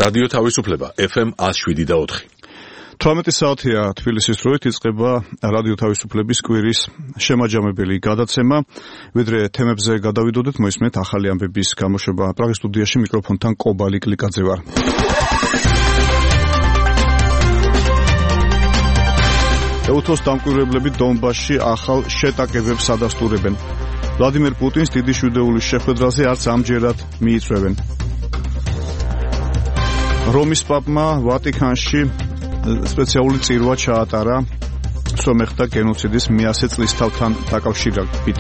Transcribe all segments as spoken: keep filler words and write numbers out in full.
რადიო თავისუფლება ეფ ემ one oh seven და four. თვრამეტი საათია თბილისის დროით იწყება რადიო თავისუფლების კვირის შემაჯამებელი გადაცემა. ვიდრე თემებზე გადავიდოდეთ, მოისმენთ ახალი ამბების გამოშვება. პრაღის სტუდიაში მიკროფონთან კობალი კლიკაძე ვარ. ეუთოს დამკვირვებლები დონბასში ახალ შეტაკებებს ადასტურებენ. ვლადიმერ პუტინს დიდი შვიდეულის შეხვედრაზე არც ამჯერად მიიწვევენ. რომის პაპმა ვატიკანში სპეციალური წირვა ჩაატარა სომეხთა გენოციდის მეათე წლისთავთან დაკავშირებით.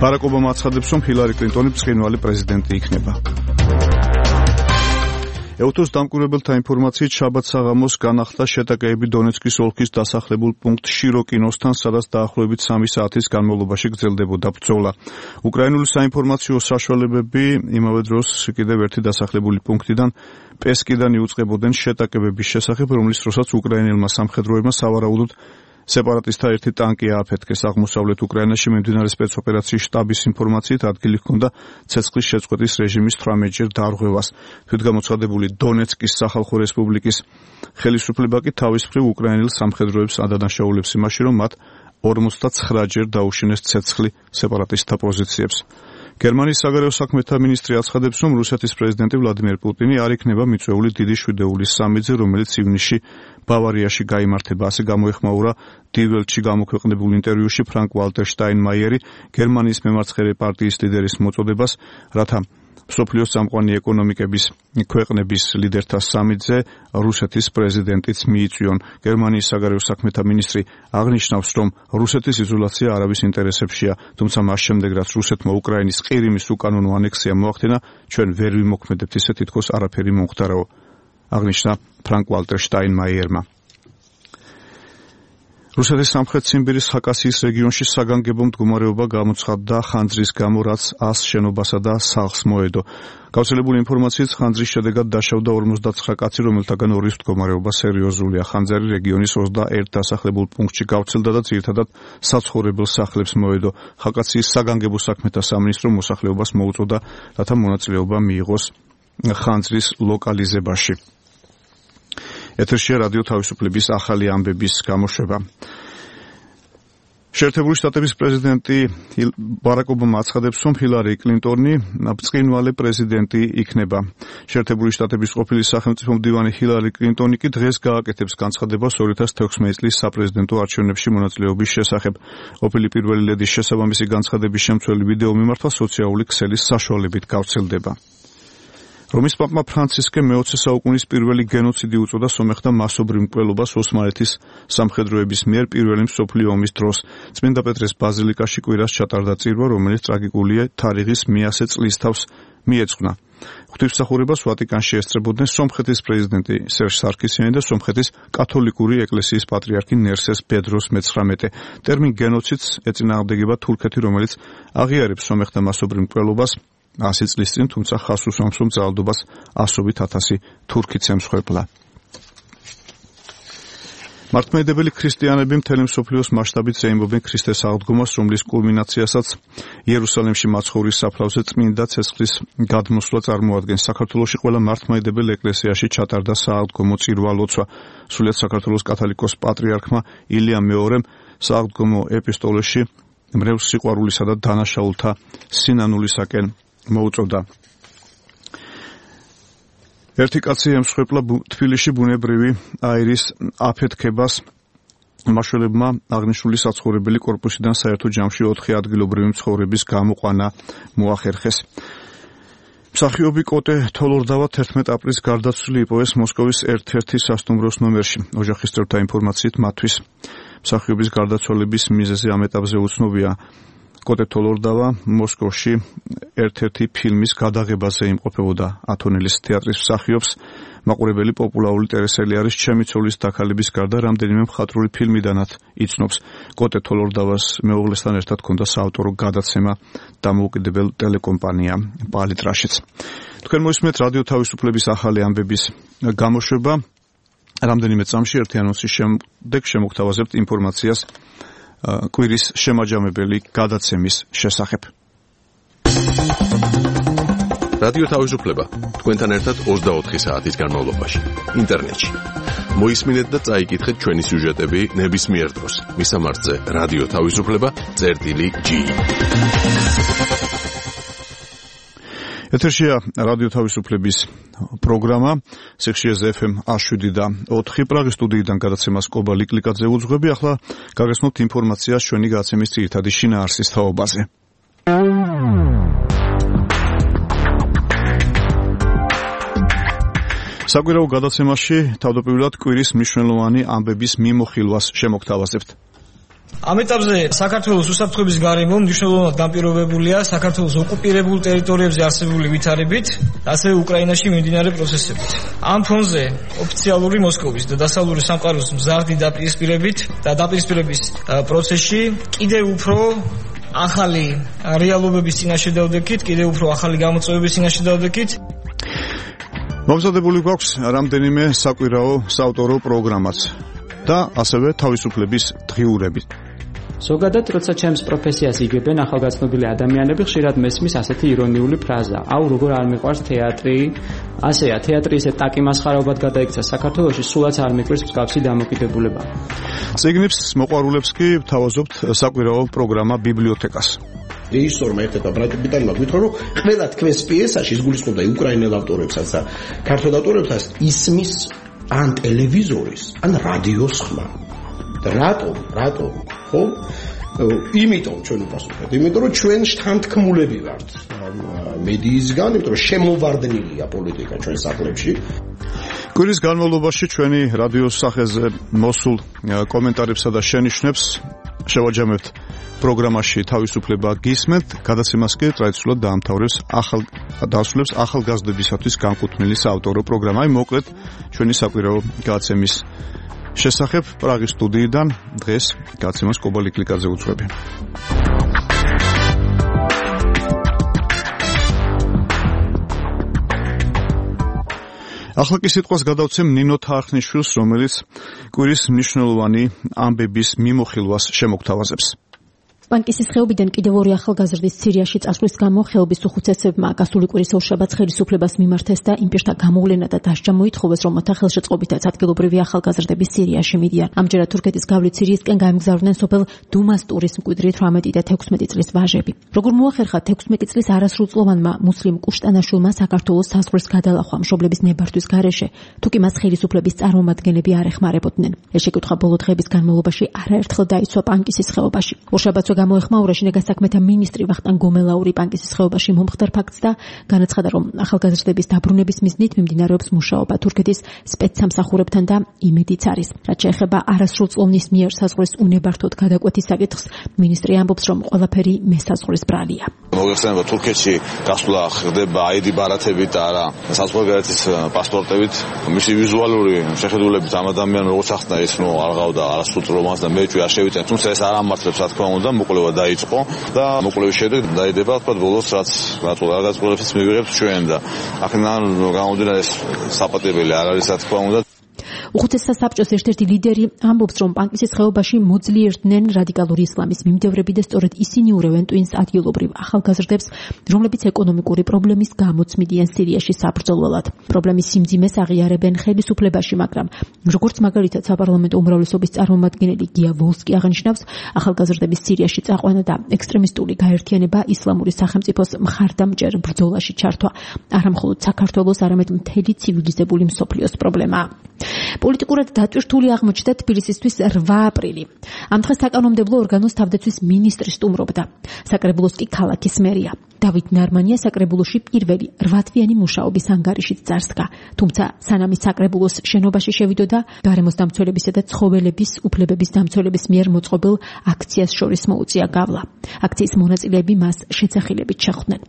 ბარაკ ობამა აცხადებს, რომ ჰილარი კლინტონი ბრწყინვალე პრეზიდენტი იქნება. ეუთოს დამკვირვებელთა ინფორმაციით შაბათ საღამოს განახლდა შეტაკებები დონეცკის ოლქის დასახლებულ პუნქტ შიროკინოსთან, სადაც დაახლოებით სამი საათის განმავლობაში გრძელდებოდა ბრძოლა. უკრაინული საინფორმაციო საშუალებები იმავე დროს კიდევ ერთი დასახლებული პუნქტიდან პესკიდან იუწყებოდნენ შეტაკებების შესახებ, რომლის დროსაც უკრაინელმა სამხედროებმა სავარაუდოდ სეპარატისტთა ერთი ტანკი ააფეთქეს. აღმოსავლეთ უკრაინაში მიმდინარე სპეცოპერაციის შტაბის ინფორმაციით ადგილი ჰქონდა ცეცხლის შეწყვეტის რეჟიმის თვრამეტჯერ დარღვევას. თვითგამოცხადებული დონეცკის სახალხო რესპუბლიკის ხელისუფლება კი თავის მხრივ უკრაინელ სამხედროებს ადანაშაულებს იმაში, რომ მათ ორმოცდაცხრაჯერ დაუშინეს ცეცხლი სეპარატისტთა პოზიციებს. გერმანიის საგარეო საქმეთა მინისტრი აცხადებს, რომ რუსეთის პრეზიდენტი ვლადიმერ პუტინი არ იქნება მიწვეული დიდი შვიდეულის სამედზე, რომელიც ივნისში ბავარიაში გაიმართება. ასე გამოეხმაურა დი ველტში გამოქვეყნებულ ინტერვიუში ფრანკ ვალტერ შტაინმაიერი გერმანიის მემარცხენე პარტიის ლიდერის მოწოდებას, რათა მსოფლიოს წამყვანი ეკონომიკების ქვეყნების ლიდერთა სამედზე რუსეთის პრეზიდენტიც მიიწვიონ. გერმანიის საგარეო საქმეთა მინისტრი აღნიშნავს, რომ რუსეთის იზოლაცია არავის ინტერესებშია, თუმცა მას შემდეგ, რაც რუსეთმა უკრაინის ყირიმის უკანონო ანექსია მოახდინა, ჩვენ ვერ ვიმოქმედებთ ისე, თითქოს არაფერი მომხდარაო, აღნიშნა ფრანკ ვალტერ შტაინმაიერმა. რუსეთის სამხრეთ ციმბირის ხაკასიის რეგიონში საგანგებო მდგომარეობა გამოცხადდა ხანძრის გამო, რაც ას შენობასა და სახლს მოედო. გავრცელებული ინფორმაციით ხანძრის შედეგად დაშავდა ორმოცდაცხრა კაცი, რომელთაგან ორის მდგომარეობა სერიოზულია. ხანძარი რეგიონის ოცდაერთ დასახლებულ პუნქტში გავრცელდა და ძირითადად საცხოვრებელ სახლებს მოედო. ხაკასიის საგანგებო საქმეთა სამინისტრო მოსახლეობას მოუწოდა, რათა მონაწილეობა მიიღოს ხანძრის ლოკალიზებაში. ეთერშია რადიო თავისუფლების ახალი ამბების გამოშვება. შეერთებული შტატების პრეზიდენტი ბარაკ ობამა აცხადებს, რომ ჰილარი კლინტონი ბრწყინვალე პრეზიდენტი იქნება. შეერთებული შტატების ყოფილი სახელმწიფო მდივანი ჰილარი კლინტონი კი დღეს გააკეთებს განცხადებას ორი ათას თექვსმეტი წლის საპრეზიდენტო არჩევნებში მონაწილეობის შესახებ. ყოფილი პირველი ლედის შესაბამისი განცხადების შემცველი ვიდეო მიმართვა სოციალური ქსელის საშუალებით გავრცელდება. რომის პაპმა ფრანცისკე მეოცე საუკუნის პირველი გენოციდი უწოდა სომეხთა მასობრივ მკვლელობას ოსმალეთის სამხედროების მიერ პირველი მსოფლიო ომის დროს. წმინდა პეტრეს ბაზილიკაში კვირას ჩატარდა წირვა, რომელიც ტრაგიკულია თარიღის მეათე წლისთავს მიეძღვნა. ღვთისმსახურებას ვატიკანში ესწრებოდნენ სომხეთის პრეზიდენტი სერჟ სარქისიანი და სომხეთის კათოლიკური ეკლესიის პატრიარქი ნერსეს ბედროს მეცხრამეტე. ტერმინ გენოციდს ეწინააღმდეგება თურქეთი, რომელიც აღიარებს სომეხთა მასობრივ მკვლელობას ასი წლის წინ, თუმცა ხაზს უსვამს, რომ ძალადობას ასობით ათასი თურქიც ემსხვერპლა. მართლმადიდებელი ქრისტიანები მთელი მსოფლიოს მასშტაბით ზეიმობენ ქრისტეს აღდგომას, რომლის კულმინაციასაც იერუსალიმში მაცხოვრის საფლავზე წმინდა ცეცხლის გადმოსვლა წარმოადგენს. საქართველოში ყველა მართლმადიდებელ ეკლესიაში ჩატარდა სააღდგომო წირვა-ლოცვა. სრულიად საქართველოს კათოლიკოს პატრიარქმა ილია მეორემ სააღდგომო ეპისტოლეში მრევლ სიყვარულისა და დანაშაულთა სინანულისაკენ მოუწოდა. ერთი კაცი ემსხვერპლა თბილისში ბუნებრივი აირის აფეთქებას. მაშველებმა აღნიშნული საცხოვრებელი კორპუსიდან საერთო ჯამში ოთხი ადგილობრივი მცხოვრების გამოყვანა მოახერხეს. მსახიობი კოტე თოლორდავა თერთმეტ აპრილს გარდაცვლილი იპოვეს მოსკოვის ერთ-ერთი სასტუმროს ნომერში. ოჯახის წევრთა ინფორმაციით მათთვის მსახიობის გარდაცვალების მიზეზი ამ ეტაპზე უცნობია. კოტე თოლორდავა მოსკოვში ერთ-ერთი ფილმის გადაღებაზე იმყოფებოდა. ათონელის თეატრის მსახიობს მაყურებელი პოპულარული ტელესერიალი არის ჩემი ცოლის დაქალების გარდა რამდენიმე მხატვრული ფილმიდანაც იცნობს. კოტე თოლორდავას მეუღლესთან ერთად ჰქონდა საავტორო გადაცემა დამოუკიდებელ ტელეკომპანია პალიტრაშიც. თქვენ მოისმენთ რადიო თავისუფლების ახალი ამბების გამოშვება. რამდენიმე წამში ერთი ანონსის შემდეგ შემოგთავაზებთ ინფორმაციას კვირის შემაჯამებელი გადაცემის შესახებ. რადიო თავისუფლება თქვენთან ერთად ოცდაოთხი საათის განმავლობაში ინტერნეტში. მოისმინეთ და წაიკითხეთ ჩვენი სიუჟეტები ნებისმიერ დროს. მისამართზე რადიო თავისუფლება წერტილი ჯი. ეთერშია რადიო თავისუფლების პროგრამა სიხშირეზე ეფ ემ შვიდი და ოთხი პრაღის სტუდიიდან გადაცემას კობა ლიკლიკაძე უძღვები. ახლა გაგესმოთ ინფორმაციას ჩვენი გადაცემის ძირითადი შინაარსის თაობაზე. საკვირაო გადაცემაში თავდაპირველად კვირის მნიშვნელოვანი ამბების მიმოხილვას შემოგთავაზებთ. ამ ეტაპზე საქართველოს უსაფრთხოების გარემო მნიშვნელოვნად განპირობებულია საქართველოს ოკუპირებულ ტერიტორიებზე არსებული ვითარებით, ასევე უკრაინაში მიმდინარე პროცესებით. ამ ფონზე ოფიციალური მოსკოვის და დასავლური სამყაროს მზარდი დაპირისპირებით და დაპირისპირების პროცესში კიდევ უფრო ახალი რეალობების წინაშე დავდექით, კიდევ უფრო ახალი გამოწვევების წინაშე დავდექით. მომზადებული გვაქვს რამდენიმე საკვირაო საავტორო პროგრამაც და ასევე თავისუფლების დღიურები. ზოგადად, როცა ჩემს პროფესიას იგებენ ახალგაზრდობილი ადამიანები, ხშირად მესმის ასეთი ირონიული ფრაზა: აუ, როგორ არ მიყვარს თეატრი? ასეა, თეატრი ისე ტაკი მასხარაობად გადაიქცა საქართველოში, სულაც არ მიყვარს მსგავსი დამოკიდებულება. წიგნებს მოყვარულებს კი ვთავაზობთ საკვირაო პროგრამა ბიბლიოთეკას. რეჟისორმა ერთ-ერთმა ბრატუბიტანმა გითხრა, რომ ყველა თქვენს პიესაში ისგულისხმობდა უკრაინელ ავტორებსაც და ქართულ ავტორებსაც ისმის ან ტელევიზორის, ან რადიოს ხმა. და რატომ? რატომ? ხო? იმიტომ ჩვენ უპასუხეთ, იმიტომ რომ ჩვენ შთანთქმულები ვართ მედიისგან, იმიტომ რომ შემოვარდნილია პოლიტიკა ჩვენ სახლებში. კვირის განმავლობაში ჩვენი რადიოს სახეზე მოსულ კომენტარებსა და შენიშვნებს შევაჯამებთ პროგრამაში თავისუფლება გისმენთ, გადაცემას კი ტრადიციულად დაამთავრებს ახალ დასრულებს ახალგაზრდებისათვის განკუთვნილი საავტორო პროგრამა. აი მოკლედ ჩვენი საკვირაო გადაცემის შესახებ პრაღის სტუდიიდან დღეს გადაცემას კობა ლიკლიკაძე უძღვები. ახლა კი სიტყვას გადავცემ ნინო თარხნიშვილს, რომელიც კვირის მნიშვნელოვანი ამბების მიმოხილვას შემოგთავაზებს. პანკისის ხეობიდან კიდევ ორი ახალგაზრდის სირიაში წასვლის გამო ხეობის უხუცესებმა გასული კვირის ორშაბათს ხელისუფლებას მიმართეს და იმ პირთა გამოვლენა და დასჯა მოითხოვეს, რომ მოთა ხელშეწყობითაც ადგილობრივი ახალგაზრდები სირიაში მიდიან. ამჯერად თურქეთის გავლით სირიისკენ გაემგზავრნენ სოფელ დუმასტურის მკვიდრი თვრამეტი და თექვსმეტი წლის ვაჟები. როგორ მოახერხა თექვსმეტი წლის არასრულწლოვანმა მუსლიმ კუშტანაშვილმა საქართველოს საზღვრის გადალახვა მშობლების ნებართვის გარეშე, თუ კი მას ხელისუფლების წარმომადგენლები არ ეხმარებოდნენ. ეს შეკითხვა ბოლო დღეების განმავლობაში არაერთხელ დაიცვა პანკისის ხეობაში. ორშაბათს გამოეხმაურა შინაგან საქმეთა მინისტრი ვახტანგ გომელაური პანკისის ხეობაში მომხდარ ფაქტს და განაცხადა, რომ ახალგაზრდების დაბრუნების მიზნით მიმდინარეობს მუშაობა თურქეთის სპეცსამსახურებთან და იმედიც არის. რაც შეეხება არასრულწლოვნის მიერ საზღვრის უნებართოდ გადაკვეთის საკითხს, მინისტრი ამბობს, რომ ყველაფერი მესაზღვრის ბრალია. მოგეხსენება, თურქეთში გასვლა ხდება აიდი ბარათებით და არა საზღვარგარეთის პასპორტებით. მისი ვიზუალური შეხედულებით ამ ადამიანს როგორც ახსნა, ის ნუ არ ყავდა არასრულწლოვანს და მეჭვი არ შევიწევ, თუმცა ეს არ ამართლებს, რა თქმა უნდა, მოკვლევა დაიწყო და მოკვლევის შემდეგ დაიდება, თქვა ბოლოს რაც რაგაზრდებს მივიღებთ ჩვენ და აქედან გამომდინარე ეს საპატიებელი არ არის, რა თქმა უნდა. უხუცესთა საბჭოს ერთ-ერთი ლიდერი ამბობს, რომ პანკისის ხეობაში მოძლიერდნენ რადიკალური ისლამის მიმდევრები და სწორედ ისინი ურევენ ტვინს ადგილობრივ ახალგაზრდებს, რომლებიც ეკონომიკური პრობლემის გამოც მიდიან სირიაში საბრძოლველად. პრობლემის სიმძიმეს აღიარებენ ხელისუფლებაში, მაგრამ როგორც მაგალითად საპარლამენტო უმრავლესობის წარმომადგენელი გია ვოლსკი აღნიშნავს, ახალგაზრდების სირიაში წაყვანა და ექსტრემისტული გაერთიანება ისლამური სახელმწიფოს მხარდამჭერ ბრძოლაში ჩართვა არა მხოლოდ საქართველოს, არამედ მთელი ცივილიზებული მსოფლიოს პრობლემაა. პოლიტიკურად დატვირთული აღმოჩნდა თბილისისთვის რვა აპრილი. ამ დღეს საკანონმდებლო ორგანოს თავდაცვის მინისტრი სტუმრობდა. საკრებულოს კი ქალაქის მერია. დავით ნარმანია საკრებულოში პირველი რვათვიანი მუშაობის ანგარიშით წარსდგა. თუმცა სანამ ის საკრებულოს შენობაში შევიდოდა, გარემოს დამცველებისა და ცხოველების უფლებების დამცველების მიერ მოწყობილ აქციას შორის მოუწია გავლა. აქციის მონაწილეები მას შეცახილებით შეხვდნენ.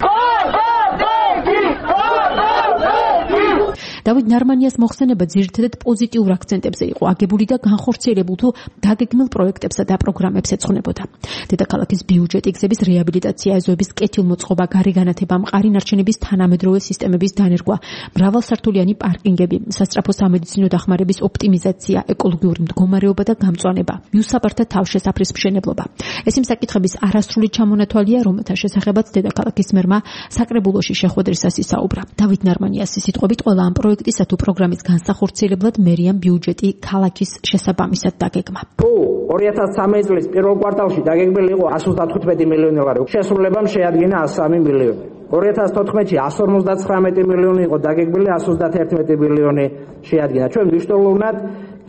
დავით ნარმანიას მოხსენება ძირითადად პოზიტიურ აქცენტებზე იყო აგებული და განხორციელებულ თუ დაგეგმილ პროექტებსა და პროგრამებს ეძღვნებოდა. დედაქალაქის ბიუჯეტი, გზების რეაბილიტაცია, ეზოების კეთილმოწყობა, გარიგანათება, მყარი ნარჩენების თანამედროვე სისტემების დანერგვა, მრავალსართულიანი პარკინგები, სასწრაფო სამედიცინო დახმარების ოპტიმიზაცია, ეკოლოგიური მდგომარეობა და გამწვანება, მიუსაბართა თავშესაფრის მშენებლობა. ეს იმ საკითხების არასრული ჩამონათვალია, რომელთა შესახებაც დედაქალაქის მერმა საკრებულოში შეხვედრისას ისაუბრა. დავით ნარმანიას სიტყვებით, ყველა ამ პროექტისა თუ პროგრამის განსახორციელებლად მერიამ ბიუჯეტი ქალაქის შესაბამისად დაგეგმა. თუ ორი ათას სამი წლის პირველ კვარტალში დაგეგმილი იყო εκατს ოცდათხუთმეტი მილიონი ლარი, შესრულებამ შეადგინა εκατს სამი მილიონი. ორი ათას თოთხმეტში εκατს ორმოცდაცხრამეტი მილიონი იყო დაგეგმილი, εκατს ოცდაათერთმეტი მილიონი შეადგინა. ჩვენ მნიშვნელოვნად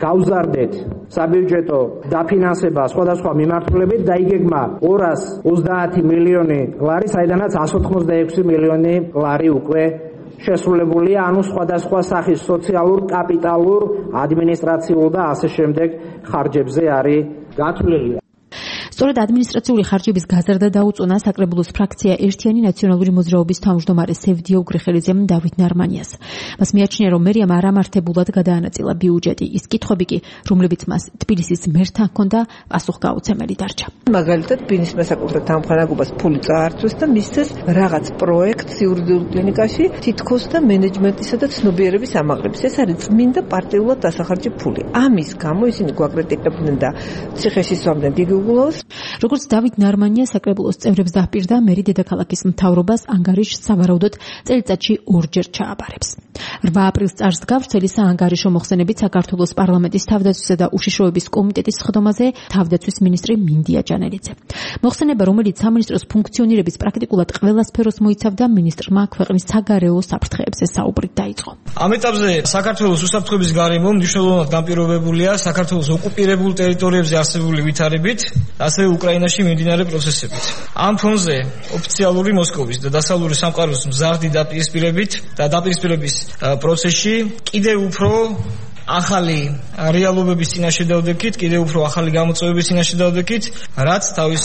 გავზარდეთ საბიუჯეტო დაფინანსება სხვადასხვა მიმართულებით, დაიგეგმა ორას ოცდაათი მილიონი ლარი, საიდანაც εκατს ოთხმოცდაექვსი მილიონი ლარი უკვე შესრულებულია, ანუ სხვადასხვა სახის სოციალურ, კაპიტალურ, ადმინისტრაციულ და ასე შემდეგ ხარჯებზე არის გათვლილი. სწორედ ადმინისტრაციული ხარჯების გაზრდა დაუწუნა საკრებულოს ფრაქცია ერთიანი ნაციონალური მოძრაობის თავმჯდომარე სევდია უგრეხელიძემ დავით ნარმანიას. მას მიაჩნია, რომ მერიამ არამართებულად გადაანაწილა ბიუჯეტი, ის კითხვები კი, რომლებიც მას თბილისის მერთან ჰქონდა, პასუხგაუცემელი დარჩა. მაგალითად, ბინის მესაკუთრე თანხმოვანებას ფული წაართვეს და მისცეს რაღაც პროექტს იურიდიულ კლინიკაში თითქოს და მენეჯმენტისა და ცნობიერების ამაღლების. ეს არის წმინდა პარტიულად დასახარჯი ფული. ამის გამო ისინი გვაკრიტიკებდნენ და ციხეში სვამდნენ გიგიგულოს. როგორც დავით ნარმანია საკრებულოს წევრებს დაჰპირდა, მერი დედაქალაქის მთავრობას ანგარიშს სავარაუდოდ წელიწადში ორჯერ ჩააბარებს. რვა აპრილს წარს გავრცელი საანგარიშო მოხსენებით საქართველოს პარლამენტის თავდაცვისა და უშიშროების კომიტეტის სხდომაზე თავდაცვის მინისტრი მინდია ჯანელიძე. მოხსენება, რომელიც სამინისტროს ფუნქციონირების პრაქტიკულად ყველა სფეროს მოიცავდა, მინისტრმა ქვეყნის საგარეო საფრთხეებზე საუბრით დაიწყო. ამ ეტაპზე საქართველოს უსაფრთხოების გარემო მნიშვნელოვნად განპირობებულია საქართველოს ოკუპირებულ ტერიტორიებზე არსებული ვითარებით, ასევე უკრაინაში მიმდინარე პროცესებით. ამ ფონზე ოფიციალური მოსკოვის და დასავლური სამყაროს მზარდი დაპირისპირებით და დაპირისპირების პროცესში კიდევ უფრო ახალი რეალობების წინაშე დავდექით, კიდევ უფრო ახალი გამოწვევების წინაშე დავდექით, რაც თავის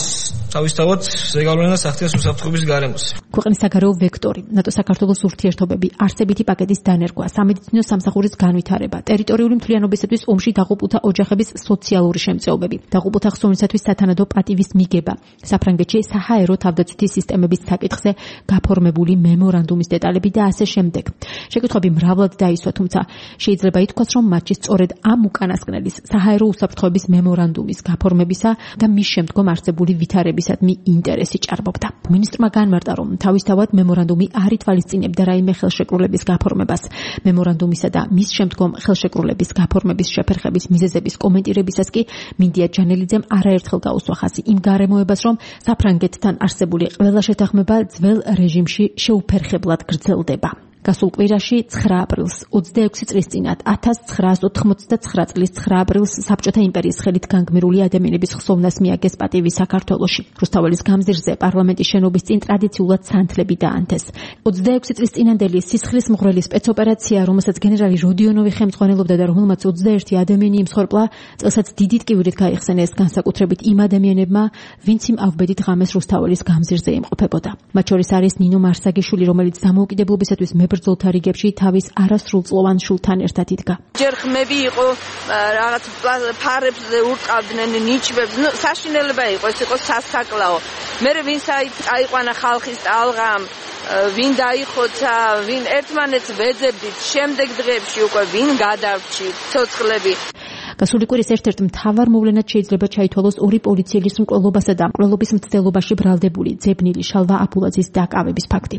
თავისთავად ზეგავლენას ახდენს უსაფრთხოების გარემოს. ქვეყნის საგარეო ვექტორი, ნატო საქართველოს ურთიერთობები, არსებითი პაკეტის დანერგვა, სამედიცინო სამსახურის განვითარება, ტერიტორიული მთლიანობისათვის ომში დაღუპულთა ოჯახების სოციალური შემწეობები, დაღუპულთა ხსოვნისათვის სათანადო პატივის მიგება, საფრანგეთში საჰაერო თავდაცვითი სისტემების საკითხზე გაფორმებული მემორანდუმის დეტალები და ასე შემდეგ. შეკითხვები მრავლად დაისვა, თუმცა შეიძლება ითქვას, რომ მათში სწორედ ამ უკანასკნელის საჰაერო უსაფრთხოების მემორანდუმის გაფორმებისა და მის შემდგომ არსებული ვითარებისადმი ინტერესი ჭარბობდა. მინისტრმა განმარტა, რომ თავისთავად მემორანდუმი არ ითვალისწინებდა რაიმე ხელშეკრულების გაფორმებას. მემორანდუმისა და მის შემდგომ ხელშეკრულების გაფორმების შეფერხების მიზეზების კომენტირებისას კი მინდია ჯანელიძემ არაერთხელ გაუსვა ხაზი იმ გარემოებას, რომ საფრანგეთთან არსებული ყველა შეთანხმება ძველ რეჟიმში შეუფერხებლად გრძელდება. გასულ კვირაში ცხრა აპრილს ოცდაექვსი წლის წინათ ათას ცხრაას ოთხმოცდაცხრა წლის ცხრა აპრილს საბჭოთა იმპერიის ხელით განგმირული ადამიანების ხსოვნას მიაგეს პატივი საქართველოში. რუსთაველის გამზირზე პარლამენტის შენობის წინ ტრადიციულად სანთლები დაანთეს. ოცდაექვსი წლის წინანდელი სისხლის მღვრელი სპეცოპერაცია, რომელსაც გენერალი როდიონოვი ხელმძღვანელობდა და რომელმაც ოცდაერთი ადამიანი იმსხვერპლა, წელსაც დიდი ტკივილით გაიხსენეს განსაკუთრებით იმ ადამიანებმა, ვინც იმ ავბედით ღამეს რუსთაველის გამზირზე იმყოფებოდა. მათ შორის არის ნინო მარსაგიშვილი, რომელიც დამოუკიდებლობისათვის ბრძოლთა რიგებში თავის არასრულწლოვან შულთან ერთად იდგა. ჯერ ხმები იყო, რაღაც ფარებს ურტყავდნენ, ნიჩბებს, ნუ საშინელება იყო, ეს იყო სასაკლაო. მე ვინც აიყვანა ხალხის ტალღამ, ვინ დაიხოცა, ვინ ერთმანეთს ვეძებდით, შემდეგ დღეებში უკვე ვინ გადავრჩი ცოცხლები. გასული კვირის ერთ-ერთ მთავარ მოვლენად შეიძლება ჩაითვალოს ორი პოლიციელის მკვლელობასა და მკვლელობის მცდელობაში ბრალდებული ძებნილი შალვა აბულაძის დაკავების ფაქტი.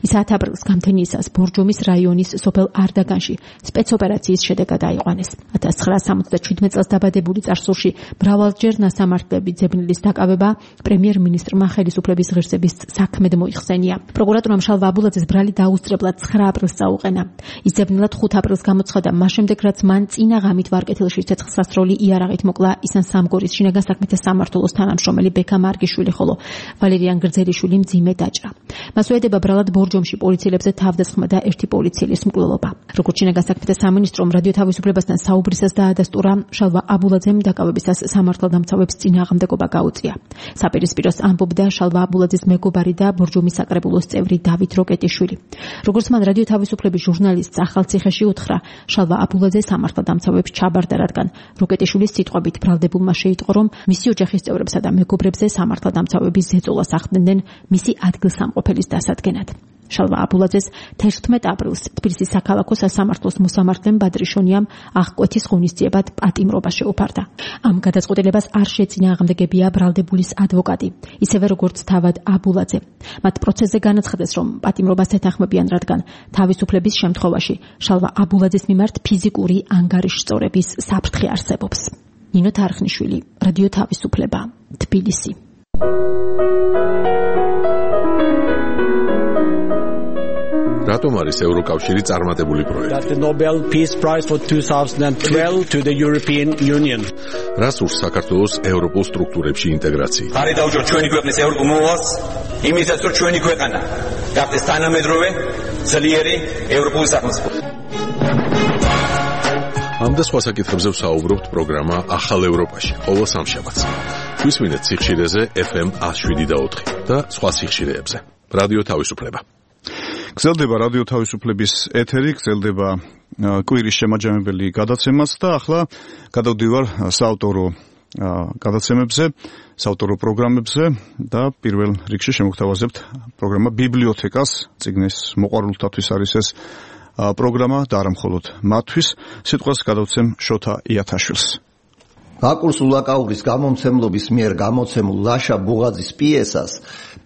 ისაა აპრილის გამთენიისას ბორჯომის რაიონის სოფელ არდაგანში სპეცოპერაციის შედეგად აიყვანეს. ათას ცხრაას სამოცდაჩვიდმეტ წელს დაბადებული წარსულში მრავალჯერ ნასამართლები ძებნილის დაკავება პრემიერ-მინისტრმა ხელისუფლების ღირსების საქმედ მოიხსენია. პროკურატურამ შალვა აბულაძის ბრალი დაუსწრებლად ცხრა აპრილს წაუყენა. ის ძებნილად ხუთ აპრილს გამოცხადა, მას შემდეგ რაც მან წინა ღამით ვარკეთილში ცეცხლ აღსასროლი იარაღით მოკლა ისან სამგორის შინაგან საქმეთა სამმართველოს თანამშრომელი ბექა მარგიშვილი, ხოლო ვალერიან გრძელიშვილი მძიმე დაჭრა. მას უედება ბრალად ბორჯომში პოლიციელებზე თავდასხმა და ერთი პოლიციელის მკვლელობა. როგორც შინაგან საქმეთა სამინისტრომ რადიო თავისუფლებასთან საუბრისას დაადასტურა, შალვა აბულაძემ დაკავებისას სამართალდამცავებს წინააღმდეგობა გაუწია. საპირისპიროს ამბობდა შალვა აბულაძის მეგობარი და ბორჯომის საკრებულოს წევრი დავით როკეტიშვილი. როგორც მან რადიო თავისუფლების ჟურნალისტს ახალციხეში უთხრა, შალვა აბულაძე სამართალდამცავებს ჩაბარდა, რადგან როკეტიშვილის სიტყვებით ბრალდებულმა შეიტყო, რომ მისი ოჯახის წევრებსა და მეგობრებზე სამართალდამცავები ზეწოლას ახდენდნენ მისი ადგილსამყოფელის დასადგენად. შალვა აბულაძეს თერთმეტ აპრილს თბილისის საქალაქო სასამართლოს მოსამართლემ ბადრიშონიამ აღკვეთის ღონისძიებად პატიმრობა შეუფარდა. ამ გადაწყვეტილებას არ შეწინააღმდეგებია ბრალდებულის ადვოკატი, ისევე როგორც თავად აბულაძე. მათ პროცესზე განაცხადეს, რომ პატიმრობას ეთანხმებიან, რადგან თავისუფლების შემთხვევაში შალვა აბულაძის მიმართ ფიზიკური ანგარიშსწორების საფრთხე არსებობს. ნინო თარხნიშვილი, რადიო თავისუფლება, თბილისი. რატომ არის ევროკავშირი წარმატებული პროექტი? The Nobel Peace Prize for twenty twelve to the European Union. რას ურს საქართველოს ევროპულ სტრუქტურებში ინტეგრაცია? არის დაუჯო ჩვენი ქვეყნის ევროპულ მოვალს, იმისაც რომ ჩვენი ქვეყანა გახდეს თანამედროვე ძლიერი ევროპული სახელმწიფო. ამ და სხვა საკითხებზე ვსაუბრობთ პროგრამა ახალ ევროპაში, ყოველ სამშაბათს. გვისმინეთ სიხშირეზე ეფ ემ one oh seven და ოთხი და სხვა სიხშირეებზე. რადიო თავისუფლება. გრძელდება რადიო თავისუფლების ეთერი, გრძელდება კვირის შემაჯამებელი გადაცემაც და ახლა გადავდივარ საავტორო გადაცემებზე, საავტორო პროგრამებზე და პირველ რიგში შემოგთავაზებთ პროგრამა ბიბლიოთეკას, წიგნის მოყვარულთათვის არის ეს პროგრამა და არა მხოლოდ მათთვის. სიტყვას გადავცემ შოთა იათაშვილს. ბაკურ სულაკაურის გამომცემლობის მიერ გამოცემულ ლაშა ბუღაძის პიესას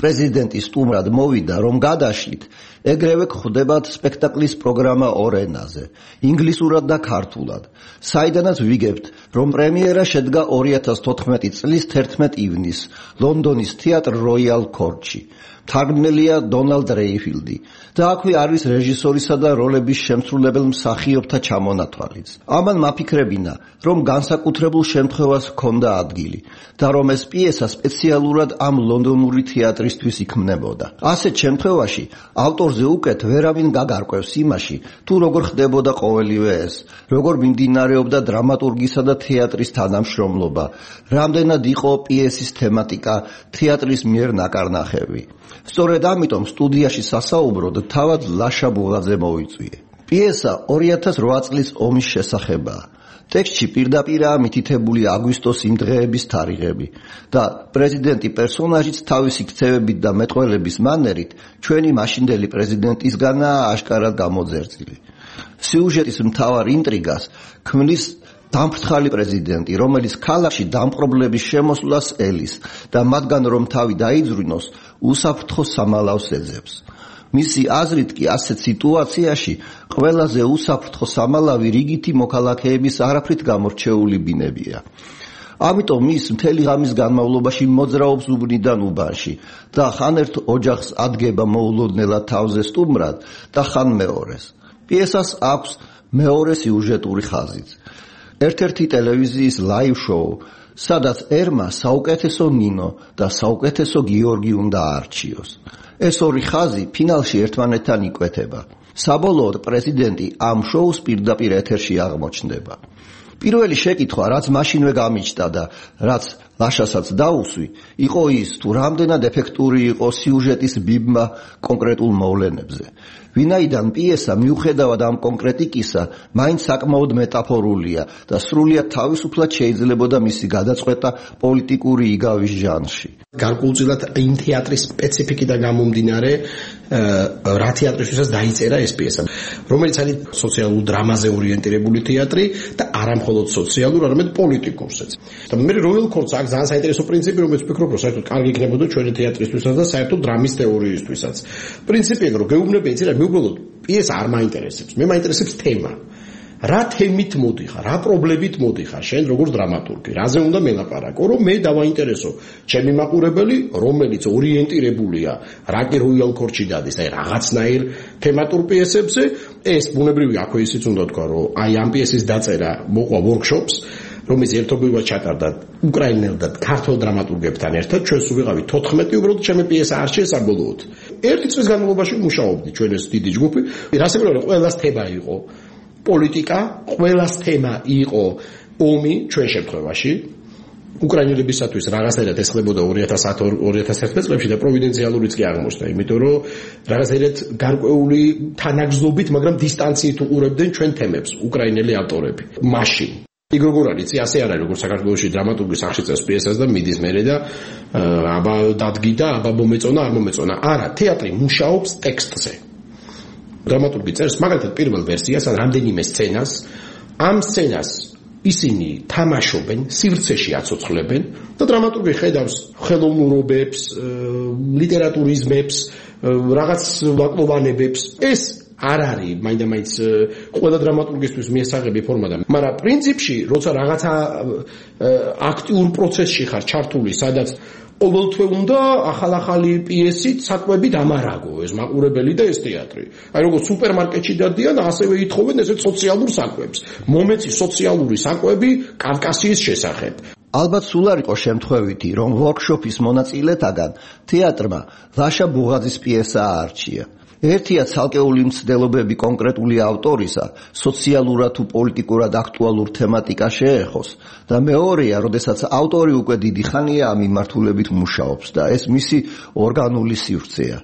პრეზიდენტი სტუმრად მოვიდა, რომ გადაშლით ეგრევე გვხვდებათ სპექტაკლის პროგრამა ორ ენაზე, ინგლისურად და ქართულად. საიდანაც ვიგებთ, რომ პრემიერა შედგა ორი ათას თოთხმეტი წლის თერთმეტ ივნისს ლონდონის თეატრ როიალ კორტში. თარგმნელია დონალდ რეიფილდი და აქვე არის რეჟისორისა და როლების შემსრულებელ მსახიობთა ჩამონათვალიც. ამან მაფიქრებინა, რომ განსაკუთრებულ შემთხვევას ჰქონდა ადგილი და რომ ეს პიესა სპეციალურად ამ ლონდონური თეატრისთვის იქმნებოდა. ასეთ შემთხვევაში ავტორზე უკეთ ვერავინ გაგარკვევს იმაში, თუ როგორ ხდებოდა ყოველივე ეს, როგორ მიმდინარეობდა დრამატურგისა და თეატრის თანამშრომლობა, რამდენად იყო პიესის თემატიკა, თეატრის მიერ ნაკარნახევი. სწორედ ამიტომ სტუდიაში სასაუბროდ თავად ლაშა ბუღაძე მოვიწვიე. პიესა ორი ათას რვა წლის ომის შესახებაა. ტექსტში პირდაპირაა მითითებული აგვისტოს იმ დღეების თარიღები და პრეზიდენტი პერსონაჟიც თავისი ქცევებით და მეტყველების მანერით ჩვენი მაშინდელი პრეზიდენტისგანაა აშკარად გამოძერწილი. სიუჟეტის მთავარ ინტრიგას ქმნის დამფრთხალი პრეზიდენტი, რომელიც ქალაქში დამპყრობლების შემოსვლას ელის და მათგან რომ თავი დაიძვრინოს, უსაფრთხო სამალავს ეძებს. მისი აზრით კი ასეთ სიტუაციაში ყველაზე უსაფრთხო სამალავი რიგითი მოქალაქეების არაფრით გამორჩეული ბინებია. ამიტომ ის მთელი ღამის განმავლობაში მოძრაობს უბნიდან უბანში და ხან ერთ ოჯახს ადგება მოულოდნელად თავზე სტუმრად და ხან მეორეს. პიესას აქვს მეორე სიუჟეტური ხაზიც. ერთ-ერთი ტელევიზიის ლაივ შოუ, სადაც ერმა საუკეთესო ნინო და საუკეთესო გიორგი უნდა აარჩიოს. ეს ორი ხაზი ფინალში ერთმანეთთან იკვეთება. საბოლოოდ პრეზიდენტი ამ შოუს პირდაპირ ეთერში აღმოჩნდება. პირველი შეკითხვა, რაც მაშინვე გამიჩნდა და რაც ლაშასაც დაუსვი, იყო ის, თუ რამდენად ეფექტური იყო სიუჟეტის ბიბმა კონკრეტულ მოვლენებზე. ვინაიდან პიესა მიუხედავად ამ კონკრეტიკისა, მაინც საკმაოდ მეტაფორულია და სრულიად თავისუფლად შეიძლებოდა მისი გადაწყვეტა პოლიტიკური იგავის ჟანრში. გარკვეულწილად იმ თეატრის სპეციფიკიდან გამომდინარე, რა თეატრისთვისაც დაიწერა ეს პიესა, რომელიც არის სოციალურ დრამაზე ორიენტირებული თეატრი და არა მხოლოდ სოციალურ, არამედ პოლიტიკურსაც. და მე როიალ კორტს აქვს ძალიან საინტერესო პრინციპი, რომელიც ვფიქრობ, რომ საერთოდ კარგი იქნებოდა ჩვენი თეატრისთვისაც და საერთოდ დრამის თეორიისთვისაც. პრინციპია, რომ გეუბნები იცი რა, მე უბრალოდ პიესა არ მაინტერესებს, მე მაინტერესებს თემა. რა თემით მოდიხარ, რა პრობლემით მოდიხარ შენ როგორც დრამატურგი, რაზე უნდა მელაპარაკო, რომ მე დავაინტერესო ჩემი მაყურებელი, რომელიც ორიენტირებულია რაკი როიალ კორტში დადის, აი რაღაცნაირ თემატურ პიესებზე, ეს ბუნებრივია, აქვე ისიც უნდა თქვა, რომ აი ამ პიესის დაწერა მოყვა ვორქშოპს, რომის ერთობლივად ჩატარდა უკრაინელ და ქართულ დრამატურგებთან ერთად, ჩვენ სულ ვიყავით თოთხმეტი, უბრალოდ ჩემი პიესა არ შეესა ბოლოოდ. ერთი წლის განმავლობაში მუშაობდი ჩვენ ეს დიდი ჯგუფი. რასაკვირველია, ყველას თემა იყო პოლიტიკა, ყველას თემა იყო ომი ჩვენ შემთხვევაში. უკრაინელებისათვის რაღაცნაირად ესხლებოდა ორი ათას ათი ორი ათას ათმეტ წლებში და პროვიდენციალურიც კი აღმოჩნდა, იმიტომ რომ რაღაცნაირად გარკვეული თანაგზნობით, მაგრამ დისტანციით უყურებდნენ ჩვენ თემებს უკრაინელი ავტორები. მაშინ იქ როგორ არის, იცი, ასე არ არის, როგორც საქართველოში დრამატურგი სახში წერს პიესას და მიდის მერე და აბა დადგი და აბა მომეწონა, არ მომეწონა. არა, თეატრი მუშაობს ტექსტზე. დრამატურგი წერს მაგალითად პირველ ვერსიას ან რამდენიმე სცენას, ამ სცენას ისინი თამაშობენ, სივრცეში აცოცხლებენ და დრამატურგი ხედავს ხელოვნურობებს, ლიტერატურიზმებს, რაღაც ვაკლოვანებებს. ეს არ არის მაინდა-მაინც ყველა დრამატურგისთვის მიესაღები ფორმა და მაგრამ პრინციპში, როცა რაღაცა აქტიურ პროცესში ხარ ჩართული, სადაც ყოველთვე უნდა ახალ-ახალი პიესით საკვები დამარაგო ეს მაყურებელი და ეს თეატრი. აი როგორც სუპერმარკეტში დადიან, ასევე ითხოვენ ესეთ სოციალურ საკვებს. მომეცი სოციალური საკვები კავკასიის შესახებ. ალბათ სულ არ იყო შემთხვევითი, რომ ვორქშოპის მონაწილეთაგან თეატრმა ლაშა ბუღაძის პიესა აარჩია. ერთია ცალკეული მცდელობები კონკრეტული ავტორისა, სოციალურად თუ პოლიტიკურად აქტუალურ თემატიკა შეეხოს და მეორეა, როდესაც ავტორი უკვე დიდი ხანია ამ მიმართულებით მუშაობს და ეს მისი ორგანული სივრცეა.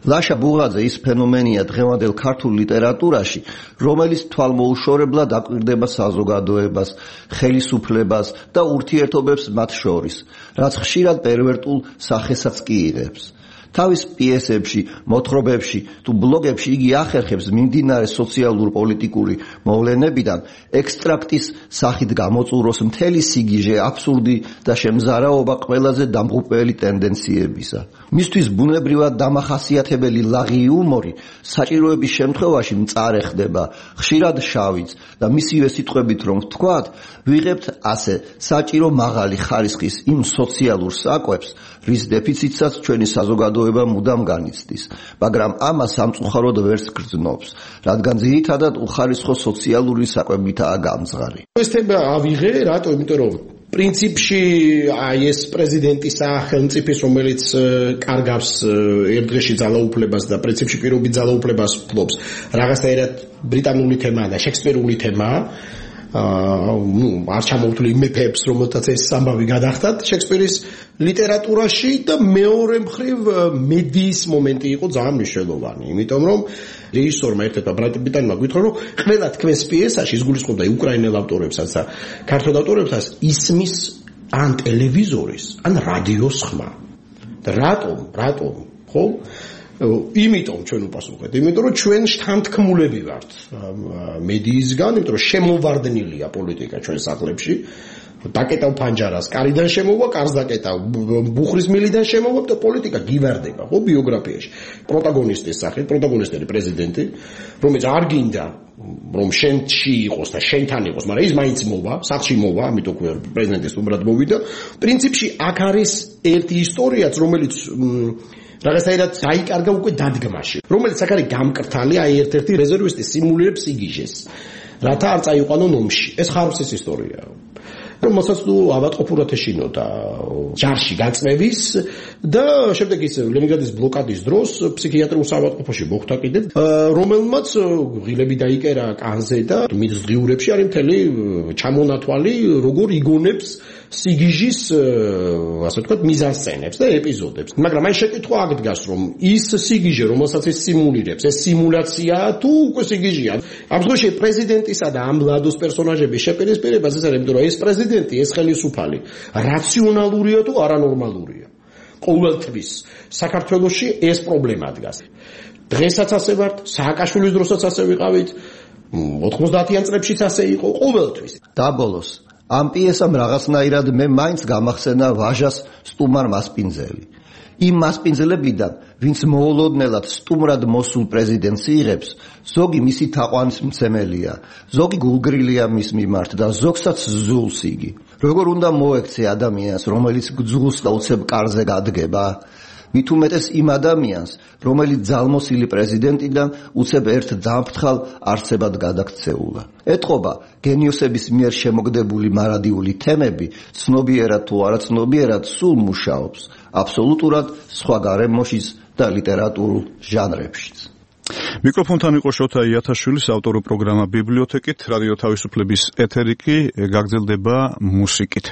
ლაშა ბუღაძე ის ფენომენია დღევანდელ ქართულ ლიტერატურაში, რომელიც თვალმოუშორებლად აკვირდება საზოგადოებას, ხელისუფლებას და ურთიერთობებს მათ შორის, რაც ხშირად პერვერტულ სახესაც კი იღებს. თავის პიესებში, მოთხრობებში თუ ბლოგებში იგი ახერხებს მიმდინარე სოციალურ-პოლიტიკური მოვლენებიდან ექსტრაქტის სახით გამოწუროს მთელი სიგიჟე აბსურდი და შემზარაობა ყველაზე დამღუპველი ტენდენციებისა. მისთვის ბუნებრივად დამახასიათებელი ლაღი იუმორი საჭიროების შემთხვევაში მწარე ხდება, ხშირად შავიც და მისივე სიტყვებით რომ ვთქვათ, ვიღებთ ასე საჭირო მაღალი ხარისხის იმ სოციალურ საკვებს, რის დეფიციტსაც ჩვენი საზოგადოება მუდამ განიცდის, მაგრამ ამას სამწუხაროდ ვერც გრძნობს, რადგან ძირითადად უხარისხო სოციალური საკვებითაა გამძღარი. ეს თემა ავიღე, რატო? იმიტომ რომ პრინციპში აი ეს პრეზიდენტისა ხელმწიფის, რომელიც კარგავს ერთ დღეში ძალაუფლებას და პრინციპში პირობით ძალაუფლებას ფლობს, რაღაცნაირად ბრიტანული თემაა და შექსპირული თემაა. ну, არ ჩამოვთვლი მეფეებს, რომელთაც ეს ამბავი გადახდათ შექსპირის ლიტერატურაში და მეორე მხრივ მედიის მომენტი იყო ძალიან მნიშვნელოვანი, იმიტომ რომ რეჟისორმა ერთ-ერთმა ბრად პიტანმა გითხრა, რომ ყველა თქვენს პიესაში ის გულისხმობდა უკრაინელ ავტორებსაც და ქართულ ავტორებსაც ისმის ან ტელევიზორის, ან რადიოს ხმა. და რატომ? რატომ? ხო? იმიტომ ჩვენ უპასუხეთ, იმიტომ რომ ჩვენ შთანთქმულები ვართ მედიისგან, იმიტომ რომ შემოვარდნილია პოლიტიკა ჩვენ სახლებში. დაკეტავ ფანჯარას, კარიდან შემოვა, კარს დაკეტავ, ბუხრის მილიდან შემოვა და პოლიტიკა გივარდება, ხო, ბიოგრაფიაში. პროტაგონისტის სახით, პროტაგონისტი პრეზიდენტი, რომელიც არ გინდა რომ შენში იყოს და შენთან იყოს, მაგრამ ის მაინც მოვა, სახლში მოვა, ამიტომ ქვია პრეზიდენტის უმრად მოვიდა. პრინციპში აქ არის ერთი ისტორიაც, რომელიც რაღაცნაირად დაიკარგა უკვე დადგმაში, რომელიც აქ არის გამკრთალი, აი ერთ-ერთი რეზერვისტი სიმულირებს იგიჟეს, რათა არ წაიყვანონ ომში. ეს ხარვსის ისტორიაა. რომელსაც თუ ავატყოფურად ეშინოდა ჯარში გაწმევის და შემდეგ ის ლენინგრადის ბლოკადის დროს ფსიქიატრიულ ავატყოფაში მოხვდა კიდევ, რომელმაც ღილები დაიკერა კანზე და მის ღიურებში არის მთელი ჩამონათვალი, როგორ იგონებს სიგიჟის, ასე ვთქვათ, მიზანსცენებს და ეპიზოდებს. მაგრამ აი შეკითხვა აქ დგას, რომ ის სიგიჟე, რომელსაც ის სიმულირებს, ეს სიმულაციაა თუ უკვე სიგიჟეა. ამ შემთხვევაში პრეზიდენტისა და ამ ლადოს პერსონაჟების შეპირისპირებას ეს არის, იმიტომ რომ ეს პრეზიდენტი, ეს ხელისუფალი რაციონალურია თუ არანორმალურია. ყოველთვის საქართველოში ეს პრობლემა დგას. დღესაც ასე ვართ, სააკაშვილის დროსაც ასე ვიყავით, ოთხმოცდაათიან წლებშიც ასე იყო, ყოველთვის. დაბოლოს ამ პიესამ რაღაცნაირად მე მაინც გამახსენა ვაჟას სტუმარ მასპინძელი. იმ მასპინძლებიდან, ვინც მოულოდნელად სტუმრად მოსულ პრეზიდენტს იღებს, ზოგი მისი თაყვანისმცემელია, ზოგი გულგრილია მის მიმართ და ზოგსაც ზულს იგი. როგორ უნდა მოექცე ადამიანს, რომელიც გძულს და უცებ კარზე გადგება? მით უმეტეს იმ ადამიანს, რომელიც ძალმოსილი პრეზიდენტიდან უცებ ერთ დამფრთხალ არსებად გადაქცეულა. ეტყობა, გენიოსების მიერ შემოგდებული მარადიული თემები, ცნობიერად თუ არაცნობიერად სულ მუშაობს, აბსოლუტურად სხვა გარემოშიც და ლიტერატურულ ჟანრებშიც. მიკროფონთან იყო შოთა იათაშვილის ავტორო პროგრამა ბიბლიოთეკით, რადიო თავისუფლების ეთერი კი გაგრძელდება მუსიკით.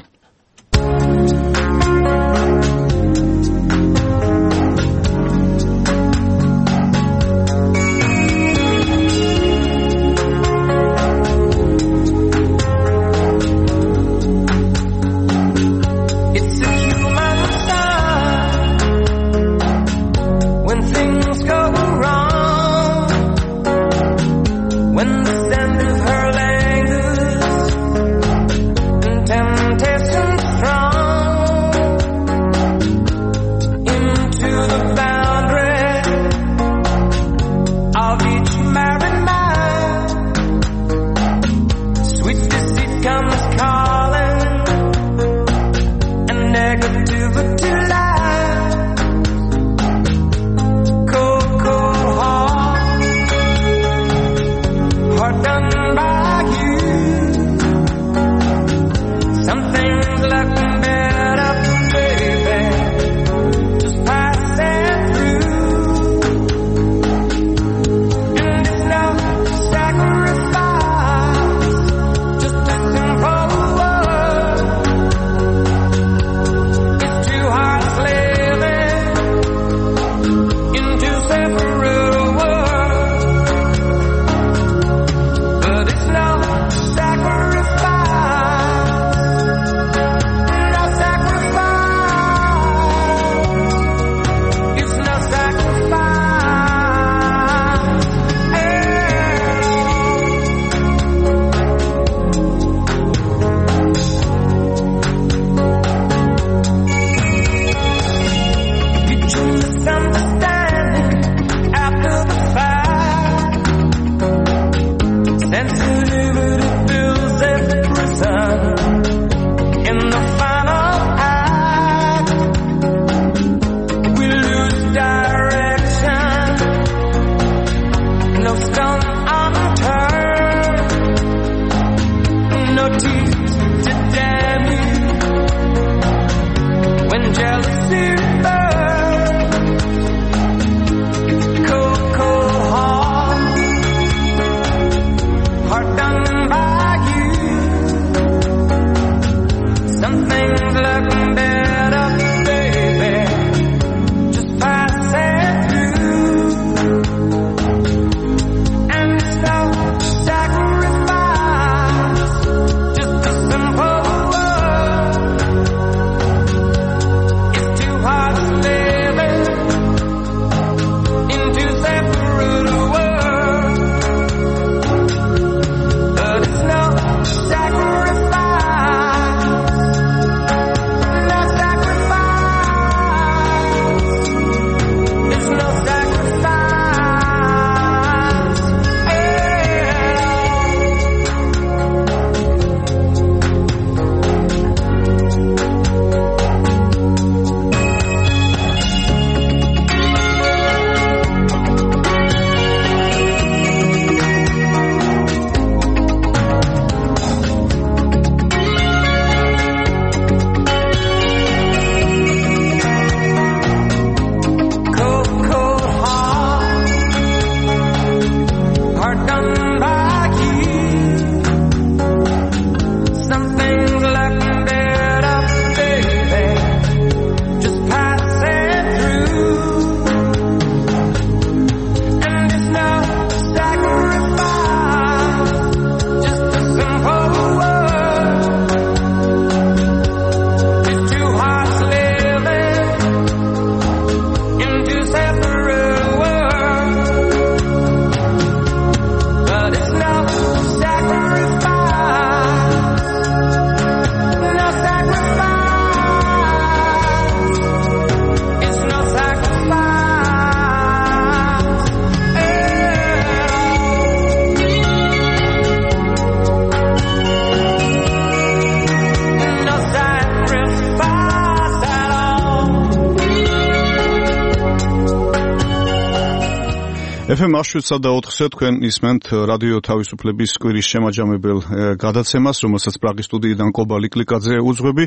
ეფ ემ შვიდ და ოთხზე თქვენ ისმენთ რადიო თავისუფლების კვირის შემაჯამებელ გადაცემას, რომელსაც პრაღის სტუდიიდან კობა ლიკლიკაძე უძღვები.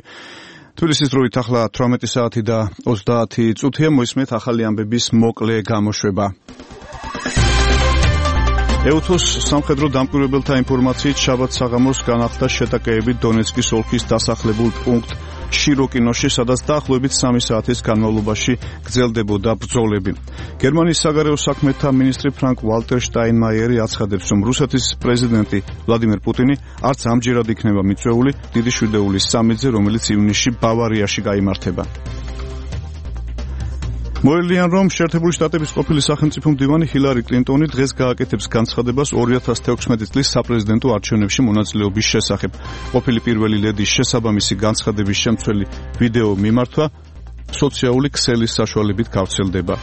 თბილისის დროით ახლა თვრამეტი საათი და ოცდაათი წუთია, მოისმენთ ახალი ამბების მოკლე გამოშვება. ეუთოს სამხედრო დამკვირვებელთა ინფორმაციით შაბათ საღამოს განახლდა შეტაკეებით დონეცკის ოლქის დასახლებულ პუნქტ შიროკინოში, სადაც დაახლოებით სამი საათის განმავლობაში გრძელდებოდა ბრძოლები. გერმანიის საგარეო საქმეთა მინისტრი ფრანკ ვალტერ შტაინმაიერი აცხადებს, რომ რუსეთის პრეზიდენტი ვლადიმერ პუტინი არც ამჯერად იქნება მიწვეული დიდი შვიდეულის სამედზე, რომელიც ივნისში ბავარიაში გაიმართება. მოელიან, რომ შეერთებული შტატების ყოფილი სახელმწიფო მდივანი ჰილარი კლინტონი დღეს გააკეთებს განცხადებას ორი ათას თექვსმეტი წლის საპრეზიდენტო არჩევნებში მონაწილეობის შესახებ. ყოფილი პირველი ლედის შესაბამისი განცხადების შემცველი ვიდეო მიმართვა სოციალური ქსელის საშუალებით გავრცელდება.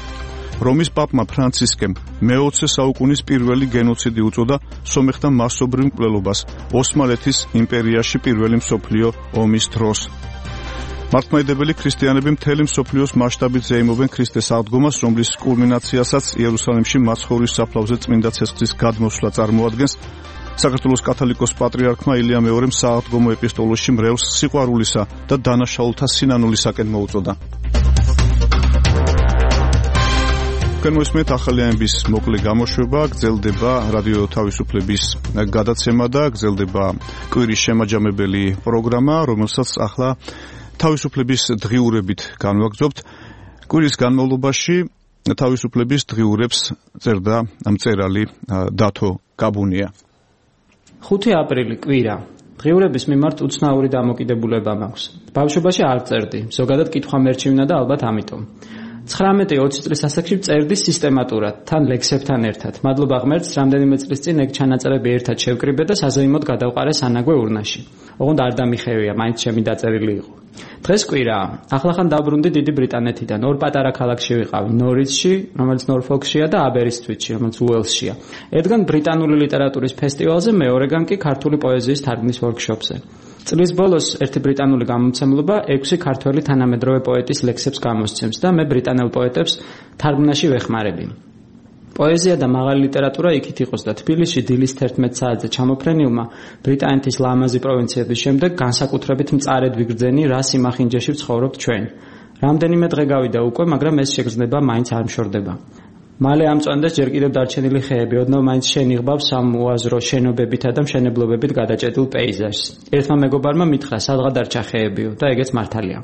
რომის პაპმა ფრანცისკემ მეოცე საუკუნის პირველი გენოციდი უწოდა სომეხთა მასობრივ მკვლელობას ოსმალეთის იმპერიაში პირველი მსოფლიო ომის დროს. მართლმადიდებელი ქრისტიანები მთელი მსოფლიოს მასშტაბით ზეიმობენ ქრისტეს აღდგომას, რომლის კულმინაციასაც იერუსალიმში მაცხოვრის საფლავზე წმინდა ცეცხლის გადმოსვლა წარმოადგენს. საქართველოს კათოლიკოს პატრიარქმა ილია მეორემ სააღდგომო ეპისტოლოში მრევლს სიყვარულისა და დანაშაულთა სინანულისაკენ მოუწოდა. თქვენ მოისმენთ ახალი ამბების მოკლე გამოშვება, გრძელდება რადიო თავისუფლების გადაცემა და გრძელდება კვირის შემაჯამებელი პროგრამა, რომელსაც ახლა თავისუფლების დღიურებით განვაგრძობთ. კვირის განმავლობაში თავისუფლების დღიურებს წერდა მწერალი დათო გაბუნია. ხუთი აპრილი კვირა. დღიურების მიმართ უცნაური დამოკიდებულება მაქვს. ბავშვობაში არ წერდი, ზოგადად კითხვა მერჩივნა და ალბათ ამიტომ. ცხრამეტი ოცი წლის ასაკში წერდი სისტემატურად, თან ლექსებთან ერთად. მადლობა ღმერთს, რამდენიმე წლის წინ ეგ ჩანაწერები ერთად შევკრიბე და საზეიმოდ გადავყარე სანაგვე ურნაში. ოღონდ არ დამიხევია, მაინც ჩემი დაწერილი იყო. დღეს კვირაა. ახლახან დაბრუნდი დიდი ბრიტანეთიდან. ორ პატარა ქალაქში ვიყავი, ნორიცში, რომელიც ნორფოლკშია და აბერისტვიტში, რომელიც უელსშია. ერთგან ბრიტანული ლიტერატურის ფესტივალზე, მეორეგან კი ქართული პოეზიის თარგმნის ვორქშოპზე. წლის ბოლოს ერთი ბრიტანული გამომცემლობა ექვსი ქართველი თანამედროვე პოეტის ლექსებს გამოსცემს და მე ბრიტანელ პოეტებს თარგმნაში ვეხმარები. პოეზია და მაღალი ლიტერატურა იქით იყოს და თბილისში დილის თერთმეტ საათზე ჩამოფრენილმა ბრიტანეთის ლამაზი პროვინციების შემდეგ განსაკუთრებით მწარედ ვიგრძენი რა სიმახინჯეში ვცხოვრობთ ჩვენ. რამდენიმე დღე გავიდა უკვე, მაგრამ ეს შეგრძნება მაინც არ მშორდება. მალე ამწვანდეს ჯერ კიდევ დარჩენილი ხეები, ოდნავ მაინც შენიღბავს ამ უაზრო შენობებითა და მშენებლობებით გადაჭედილ პეიზაჟს. ერთმა მეგობარმა მითხრა, სადღა დარჩა ხეებიო და ეგეც მართალია.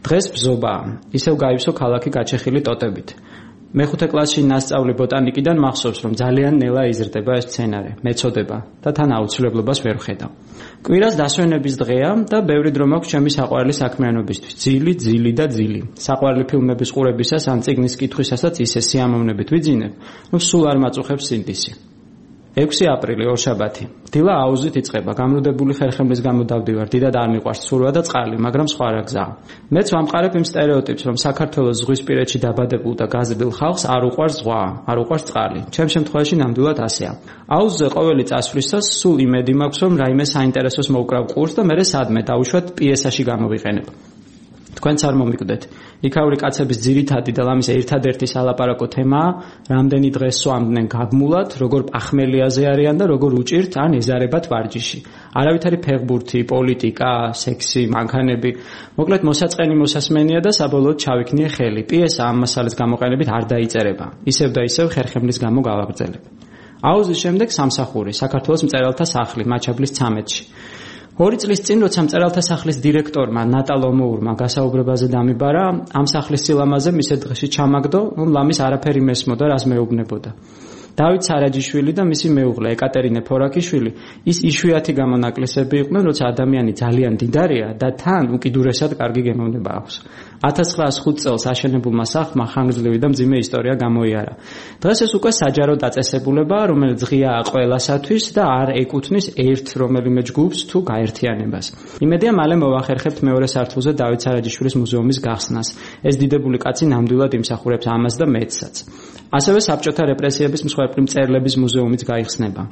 დღეს ბზობაა, ისევ გაივსო ქალაქი გაჩეხილი ტოტებით. მეხუთე კლასში ნასწავლი ბოტანიკიდან მახსოვს, რომ ძალიან ნელა იზრდება ეს მცენარე, მეწოდება და თან აუცილებლობას ვერ ვხედავ. კვირას დასვენების დღეა და ბევრი დრო მაქვს ჩემი საყვარელი საქმიანობისთვის. ძილი, ძილი და ძილი. საყვარელი ფილმების ყურებისას ან წიგნის კითხვისასაც ისე სიამოვნებით ვიძინებ, რომ სულ არ მაწუხებს სინდისი. ექვსი აპრილი ორშაბათი. დილა აუზით იწყება. გამრუდებული ხერხემლის გამო დავდივარ. დიდად არ მიყვარს ცურვა და წყალი, მაგრამ სხვა რა გზაა. მეც ვამყარებ იმ სტერეოტიპს, რომ საქართველოს ზღვისპირეთში დაბადებულ და გაზრდილ ხალხს არ უყვარს ზღვა, არ უყვარს წყალი. ჩემ შემთხვევაში ნამდვილად ასეა. აუზზე ყოველი წასვლისას სულ იმედი მაქვს, რომ რაიმე საინტერესოს მოვკრავ ყურს და მერე სადმე დავუშვათ პიესაში გამოვიყენებ. თქვენც არ მომიკვდეთ. იქაური კაცების ძირითადი და ლამის ერთადერთი სალაპარაკო თემაა, რამდენი დღეს სვამდნენ გაგმულად, როგორ პახმელიაზე არიან და როგორ უჭირთ ან ეზარებათ ვარჯიში. არავითარი ფეხბურთი, პოლიტიკა, სექსი, მანქანები. მოკლედ მოსაწყენი მოსასმენია და საბოლოოდ ჩავიქნიე ხელი. პიესა ამ მასალას გამოყენებით არ დაიწერება. ისევ და ისევ ხერხემლის გამო გავაგრძელებ. აუზის შემდეგ სამსახური, საქართველოს მწერალთა სახლი, მაჩაბლის ცამეტში. ორი წლის წინ, როცა მწერალთა სახლის დირექტორმა ნატა ლომოურმა გასაუბრებაზე დამიბარა, ამ სახლის სილამაზე მის დღეში ჩამაგდო, რომ ლამის არაფერი მესმოდა, რას მეუბნებოდა. დავით სარაჯიშვილი და მისი მეუღლე ეკატერინე ფორაკიშვილი ის იშვიათი გამონაკლისები იყვნენ, როცა ადამიანი ძალიან დიდარია და თან უკიდურესად კარგი გემოვნება აქვს. ათას ცხრაას ხუთ წელს აშენებულმა სახლმა ხანგრძლივი და მძიმე ისტორია გამოიარა. დღეს ეს უკვე საჯარო დაწესებულებაა, რომელიც ღიაა ყველასათვის და არ ეკუთვნის ერთ რომელიმე ჯგუფს თუ გაერთიანებას. იმედია მალე მოვახერხებთ მეორე სართულზე დავით სარაჯიშვილის მუზეუმის გახსნას. ეს დიდებული კაცი ნამდვილად იმსახურებს ამას და მეცსაც. ასევე საბჭოთა რეპრესიების მსხვერპლი მწერლების მუზეუმიც გაიხსნება.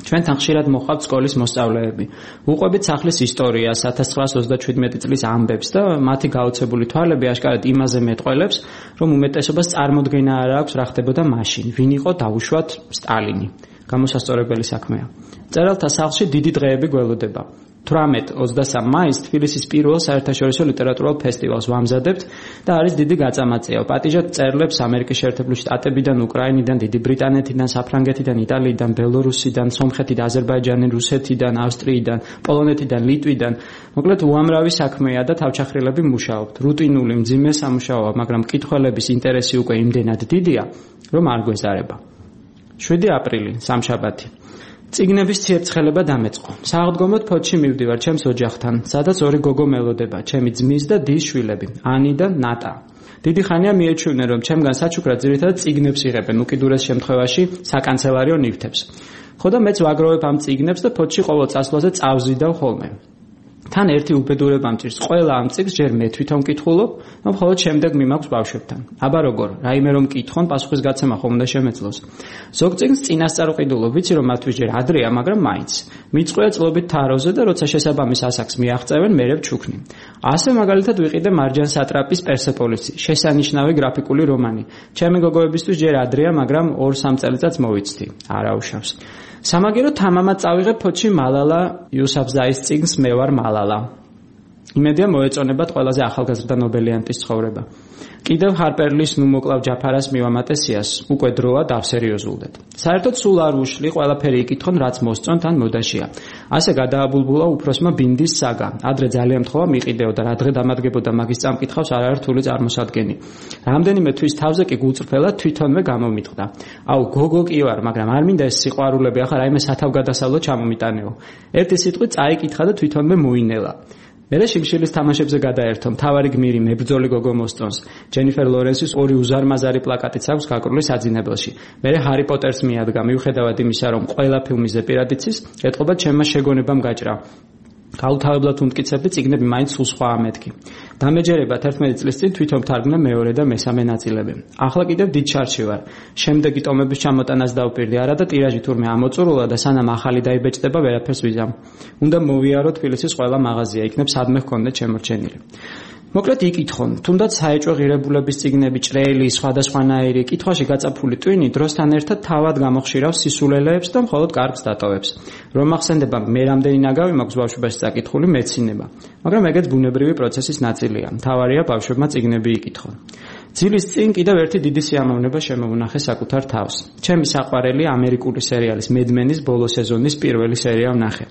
ჩვენთან ხშირად მოხავთ სკოლის მოსწავლეები. უყვებით სახლის ისტორიას, ათას ცხრაასი ოცდაჩვიდმეტი წლის ამბებს და მათი გაოცებული თვალები აშკარად იმაზე მეტყველებს, რომ უმეტესობას წარმოდგენა არ აქვს რა ხდებოდა მაშინ, ვინ იყო დაუშვათ სტალინი. გამოსასწორებელი საქმეა. მწერალთა სახლში დიდი დღეები გველოდება. თვრამეტ ოცდასამ მაისს თბილისის პირველ საერთაშორისო ლიტერატურულ ფესტივალს ვამზადებთ და არის დიდი გაწამაწია. პატიჟად წერლებს ამერიკის შეერთებული შტატებიდან, უკრაინიდან, დიდი ბრიტანეთიდან, საფრანგეთიდან, იტალიიდან, ბელორუსიდან, სომხეთიდან, აზერბაიჯანიდან, რუსეთიდან, ავსტრიიდან, პოლონეთიდან, ლიტვიდან. მოკლედ უამრავი საქმეა და თავჩახრილები მუშაობთ. რუტინული მძიმე სამუშაოა, მაგრამ მკითხველების ინტერესი უკვე იმდენად დიდია, რომ არ გვეზარება. შვიდი აპრილი, სამშაბათი. წიგნების ციებცხელება დამეწყო. სააღდგომოდ ფოთში მივდივარ ჩემს ოჯახთან, სადაც ორი გოგო მელოდება, ჩემი ძმის და დის შვილები, ანი და ნატა. დიდი ხანია მიეჩვევნენ, რომ ჩემგან საჩუქრად ძირითადად წიგნებს იღებენ, უკიდურეს შემთხვევაში საკანცელარიო ნივთებს. ხო და მეც ვაგროვებ ამ წიგნებს და ფოთში ყოველ წასვლაზე წავზიდავ ხოლმე. თან ერთი უბედურება მჭირს, ყველა ამ წიგნს ჯერ მე თვითონ მკითხულობ, რომ ხოლმე შემდეგ მიმაქვს ბავშვებთან. აბა როგორ, რაიმე რომ მკითხონ, პასუხისგაცემა ხომ უნდა შემეძლოს. ზოგ წიგნს წინასწარ ვყიდულობ, ვიცი რომ მათთვის ჯერ ადრეა, მაგრამ მაინც. მიწყვია წლობით თაროზე და როცა შესაბამის ასაკს მიაღწევენ, მერე ვჩუქნი. ასე მაგალითად ვიყიდე მარჯან სატრაპის პერსეპოლისი, შესანიშნავი გრაფიკული რომანი. ჩემი გოგოებისთვის ჯერ ადრეა, მაგრამ ორ სამ წელიწადს მოვიცდი. არაუშავს. სამაგერო თამამად წავიღებ ფოთში მალალა იუსაფზაის წიგნს მე ვარ მალალა. იმედია მოეწონებათ ყველაზე ახალგაზრდა ნობელიანტის ცხოვრება. კიდევ ჰარპერლის ნუ მოკლავ ჯაფარას მივამატესიას, უკვე დროა დავსერიოზულდეთ. საერთოდ სულ არ უშლი, ყველაფერი იკითხონ, რაც მოსწონთ ან მოდაშია. ასე გადააბულბულა უფროსმა ბინდის საგა. ადრე ძალიან მთხოვა მიყიდეოდა, რა დღე დამადგებოდა მაგის წამკითხავს არ არის რთული წარმოსადგენი. რამდენიმე თვის თავზე კი გულწრფელად თვითონვე გამომიტყდა. აუ გოგო კი ვარ, მაგრამ არ მინდა ეს სიყვარულები ახლა რაიმე სათავგადასავლო ჩამომიტანეო. ერთი სიტყვით წაიკითხა და თვითონვე მოინელა. მერე შიმშილის თამაშებზე გადაერთო, მთავარი გმირი მებრძოლი გოგო მოსწონს. ჯენიფერ ლორენსის ორი უზარმაზარი პლაკატიც აქვს გაკრული საძინებელში. მერე ჰარი პოტერს მიადგა, მიუხედავად იმისა, რომ ყველა ფილმის ზეპირად იცის, ეტყობა ჩემმა შეგონებამ გაჭრა. გაუთავებლად უმტკიცებდი, წიგნები მაინც სულ სხვაა მეთქი. დამეჯერება თერთმეტი წლის წინ თვითონ თარგმნა მეორე და მესამე ნაწილები. ახლა კიდევ დიდ ჩარჩი ვარ. შემდეგი ტომების ჩამოტანას დავპირდი, არა და ტირაჟი თურმე ამოწურულა და სანამ ახალი დაიბეჭდება, ვერაფერს ვიზამ. უნდა მოვიარო თბილისის ყველა მაღაზია, იქნებ სადმე ჰქონდეთ შემორჩენილი. მოკლედ იკითხონ, თუნდაც საეჭვო ღირებულების წიგნები, ჭრელი, სხვადასხვანაირი, კითხვაში გაწაფული ტვინი დროსთან ერთად თავად გამოხშირავს სისულელეებს და მხოლოდ კარგს დატოვებს. რომ ახსენდება, მე რამდენი ნაგავი მაქვს ბავშვობაში წაკითხული მეცინება, მაგრამ ეგეც ბუნებრივი პროცესის ნაწილია. მთავარია ბავშვებმა წიგნები იკითხონ. ძილის წინ კიდევ ერთი დიდი სიამოვნება შემოუნახე საკუთარ თავს. ჩემი საყვარელი ამერიკული სერიალის მედმენის ბოლო სეზონის პირველი სერია ვნახე.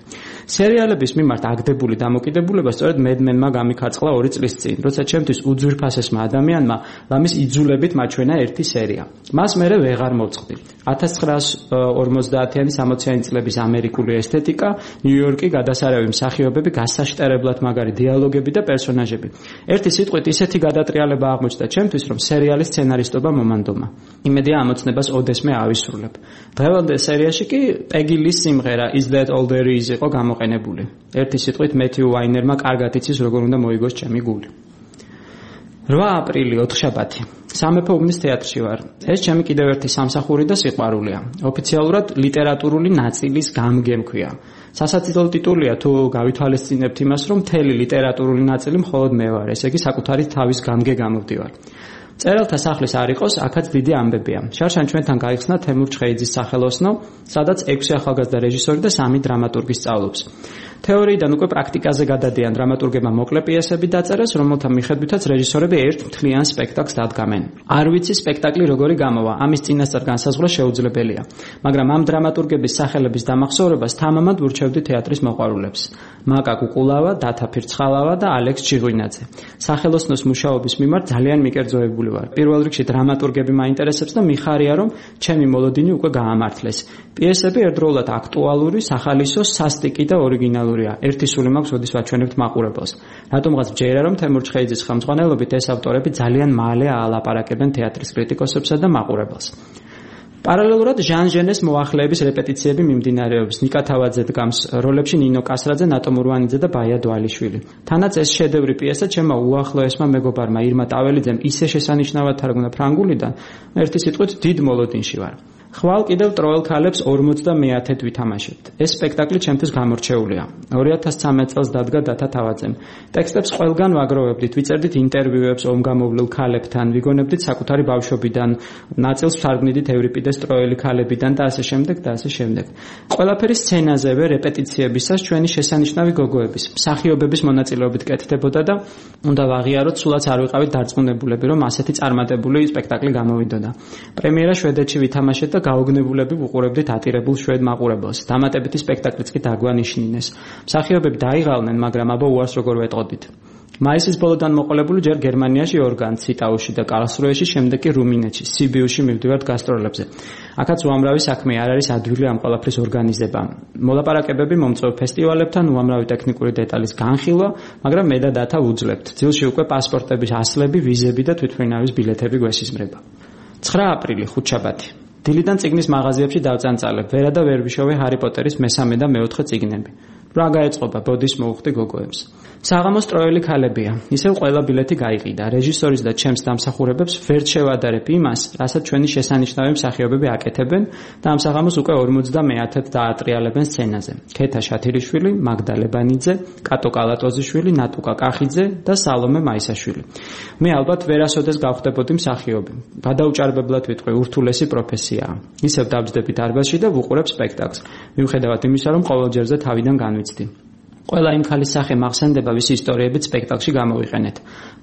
სერიალების მიმართ აგდებული დამოკიდებულება სწორედ მედმენმა გამიქარწყლა ორი წლის წინ, როცა ჩემთვის უძვირფასესმა ადამიანმა ლამის იძულებით მაჩვენა ერთი სერია. მას მერე ვეღარ მოვწყდი. ათას ცხრაასი ორმოცდაათიანი სამოციანი წლების ამერიკული ესთეტიკა, ნიუ-იორკი, გადასარევი მსახიობები, გასაშტერებლად მაგარი დიალოგები და პერსონაჟები. ერთი სიტყვით ისეთი გადატრიალება აღმოჩნდა ჩემთვის, რომ სერიალის სცენარისტობა მომანდომა. იმედია ამოცნებას ოდესმე ავისრულებ. დღევანდელ სერიაში კი პეგი ლის სიმღერა Is That All There Is იყო გამოყენებული. ერთი სიტყვით მეთიუ ვაინერმა კარგად იცის როგორ უნდა მოიგოს ჩემი გული. რვა აპრილი, ოთხშაბათი. სამეფო უბნის თეატრში ვარ. ეს ჩემი კიდევ ერთი სამსახური და სიყვარულია. ოფიციალურად ლიტერატურული ნაწილის გამგემქვია. სასაცილო ტიტულია თუ გავითვალისწინებთ იმას, რომ მთელი ლიტერატურული ნაწილი მხოლოდ მე ვარ, ესე იგი საკუთარი თავის გამგე გამოვდივარ. წერალთა სახლის არ იყოს, აქაც დიდი ამბებია. შარშან ჩვენთან გაიხსნა თემურ ჩხეიძის სახელოსნო, სადაც ექვსი ახალგაზრდა რეჟისორი და სამი დრამატურგი სწავლობს. თეორიიდან უკვე პრაქტიკაზე გადადიან, დრამატურგებმა მოკლე პიესები დაწერეს, რომელთა მიხედვითაც რეჟისორები ერთ მთლიან სპექტაკლს დადგამენ. არ ვიცი სპექტაკლი როგორი გამოვა, ამის წინასწარ განსაზღვრა შეუძლებელია, მაგრამ ამ დრამატურგების სახელების დამახსოვრებას თამამად ურჩევდი თეატრის მოყვარულებს. მაკა კუკულავა, დათა ფირცხალავა და ალექს ჩიღვინაძე. სახელოსნოს მუშაობის მიმართ ძალიან მიკერძოებული ვარ. პირველ რიგში დრამატურგები მაინტერესებს და მიხარია, რომ ჩემი მოლოდინი უკვე გაამართლეს. პიესები ერთდროულად აქტუალური, სახალისო, სასტიკი და ორიგინალური. ერთი სული მაქვს, როდის ვაჩვენებთ მაყურებელს. რატომღაც ჯერა, რომ თემურ ჩხეიძის ხელმძღვანელობით ეს ავტორები ძალიან მალე აალაპარაკებენ თეატრის კრიტიკოსებსა და მაყურებელს. პარალელურად ჟან ჟენეს მოახლეების რეპეტიციები მიმდინარეობს. ნიკა თავაძე დგამს როლებში ნინო კასრაძე, ნატო მურვანიძე და ბაია დვალიშვილი. თანაც ეს შედევრი პიესა ჩემმა უახლოესმა მეგობარმა ირმა ტაველიძემ ისე შესანიშნავად თარგმნა ფრანგულიდან, ერთი სიტყვით დიდ მოლოდინში ვარ. ხვალ კიდევ ტროელ ქალებს ორმოცდამეათედ ვითამაშებთ. ეს სპექტაკლი ჩემთვის გამორჩეულია. ორი ათას ცხრამეტ წელს დადგა დათა თავაძემ. ტექსტებს ყველგან ვაგროვებდით, ვიწერდით ინტერვიუებს ომგამოვლილ ქალებთან, ვიგონებდით საკუთარი ბავშვობიდან, ნაწილს ვთარგმნიდით ევრიპიდეს ტროელი ქალებიდან და ასე შემდეგ და ასე შემდეგ. ყველაფერი სცენაზევე რეპეტიციებისას ჩვენი შესანიშნავი გოგოების, მსახიობების მონაწილეობით კეთდებოდა და უნდა ვაღიაროთ, სულაც არ ვიყავით დარწმუნებულები, რომ ასეთი წარმატებული სპექტაკლი გამოვიდოდა. პრემიერა შვედეთში ვითამაშეთ და გაოგნებულები ვუყურებდით ატირებულ შვედ მაყურებელს. დამატებითი სპექტაკლიც კი დაგვანიშნინეს. მსახიობები დაიღალნენ, მაგრამ აბა უარს როგორ ვეტყოდით. მაისის ბოლოდან მოყოლებული ჯერ გერმანიაში ორგან, ციტაუში და კარლსრუეში, შემდეგ კი რუმინეთში, სიბიუში მივდივართ გასტროლებზე. აქაც უამრავი საქმე არ არის ადვილი ამ ყველაფრის ორგანიზება. მოლაპარაკებები მომწვევ ფესტივალებთან, უამრავი ტექნიკური დეტალის განხილვა, მაგრამ მე და დათა ვუძლებთ. ძილში უკვე პასპორტების ასლები, ვიზები და თვითმფრინავის ბილეთები გვესიზმრება. ცხრა აპრილი, ხუთშაბათი. დილიდან წიგნის მაღაზიებში დავწანწალებ, ვერა და ვერ ვიშოვე ჰარი პოტერის მესამე და მეოთხე წიგნები. რა გაეწყობა, ბოდის მოუხდი გოგოებს. საღამოს ტროელი ქალებია. ისევ ყველა ბილეთი გაიყიდა. რეჟისორის და ჩემს დამსახურებებს ვერ შევადარებ იმას, რასაც ჩვენი შესანიშნავი მსახიობები აკეთებენ და ამ საღამოს უკვე ორმოცდამეათედ დაატრიალებენ სცენაზე. ქეთა შათირიშვილი, მაგდა ლებანიძე, კატო კალატოზიშვილი, ნატუკა კახიძე და სალომე მაისაშვილი. მე ალბათ ვერასოდეს გავხდებოდი მსახიობი. გადაუჭარბებლად ვიტყვი, ურთულესი პროფესიაა. ისევ დავჯდები დარბაზში და ვუყურებ სპექტაკლს. მიუხედავად იმისა, რომ ყოველ ჯერზე თავიდან განვიცდი. ყველა იმ ქალის სახე მახსენდება, ვის ისტორიებიც სპექტაკლში გამოვიყენეთ.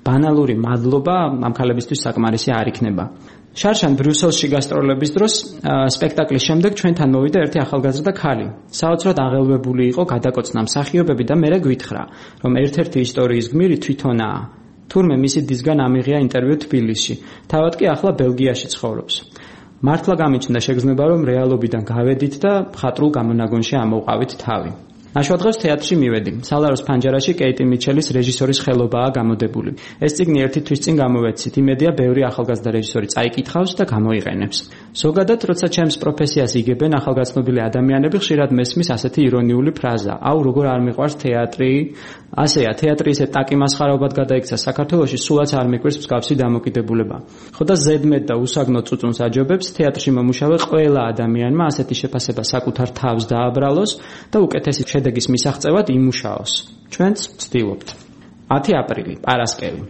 ბანალური მადლობა ამ ქალებისთვის საკმარისი არ იქნება. შარშან ბრიუსელში გასტროლების დროს სპექტაკლის შემდეგ ჩვენთან მოვიდა ერთი ახალგაზრდა ქალი. საოცრად აღელვებული იყო გადაკოცნა მსახიობები და მე გვითხრა, რომ ერთ-ერთი ისტორიის გმირი თვითონაა. თურმე მისი დისგან ამიღია ინტერვიუ თბილისში. თავად კი ახლა ბელგიაში ცხოვრობს. მართლა გამიჩნდა შეგრძნება, რომ რეალობიდან გავედით და მხატვრულ გამონაგონში ამოვყავით თავი. ნაშვადღებს თეატრში მივედი. სალაროს ფანჯარაში კეიტი მიჩელის რეჟისორის ხელობაა გამოდებული. ეს წიგნი ერთი თვის წინ გამოვეცით. იმედია, ბევრი ახალგაზრდა რეჟისორი წაიკითხავს და გამოიყენებს. ზოგადად, როცა ჩემს პროფესიას იგებენ ახალგაზრდობილი ადამიანები, ხშირად მესმის ასეთი ირონიული ფრაზა: აუ, როგორ არ მიყვარს თეატრი? ასეა, თეატრი ისე ტაკიმასხარაობად გადაიქცა საქართველოში, სულაც არ მიყვარს მსგავსი დამოკიდებულება. ხო და ზედმეტ და უსაგნო წუწუნს აჯობებს თეატრში მომუშავე ყველა ადამიანმა ასეთი შეფასება საკუთარ თავს დააბრალოს და უკეთესი შედეგის მისაღწევად იმუშაოს. ჩვენც ვცდილობთ. ათი აპრილი, პარასკევი.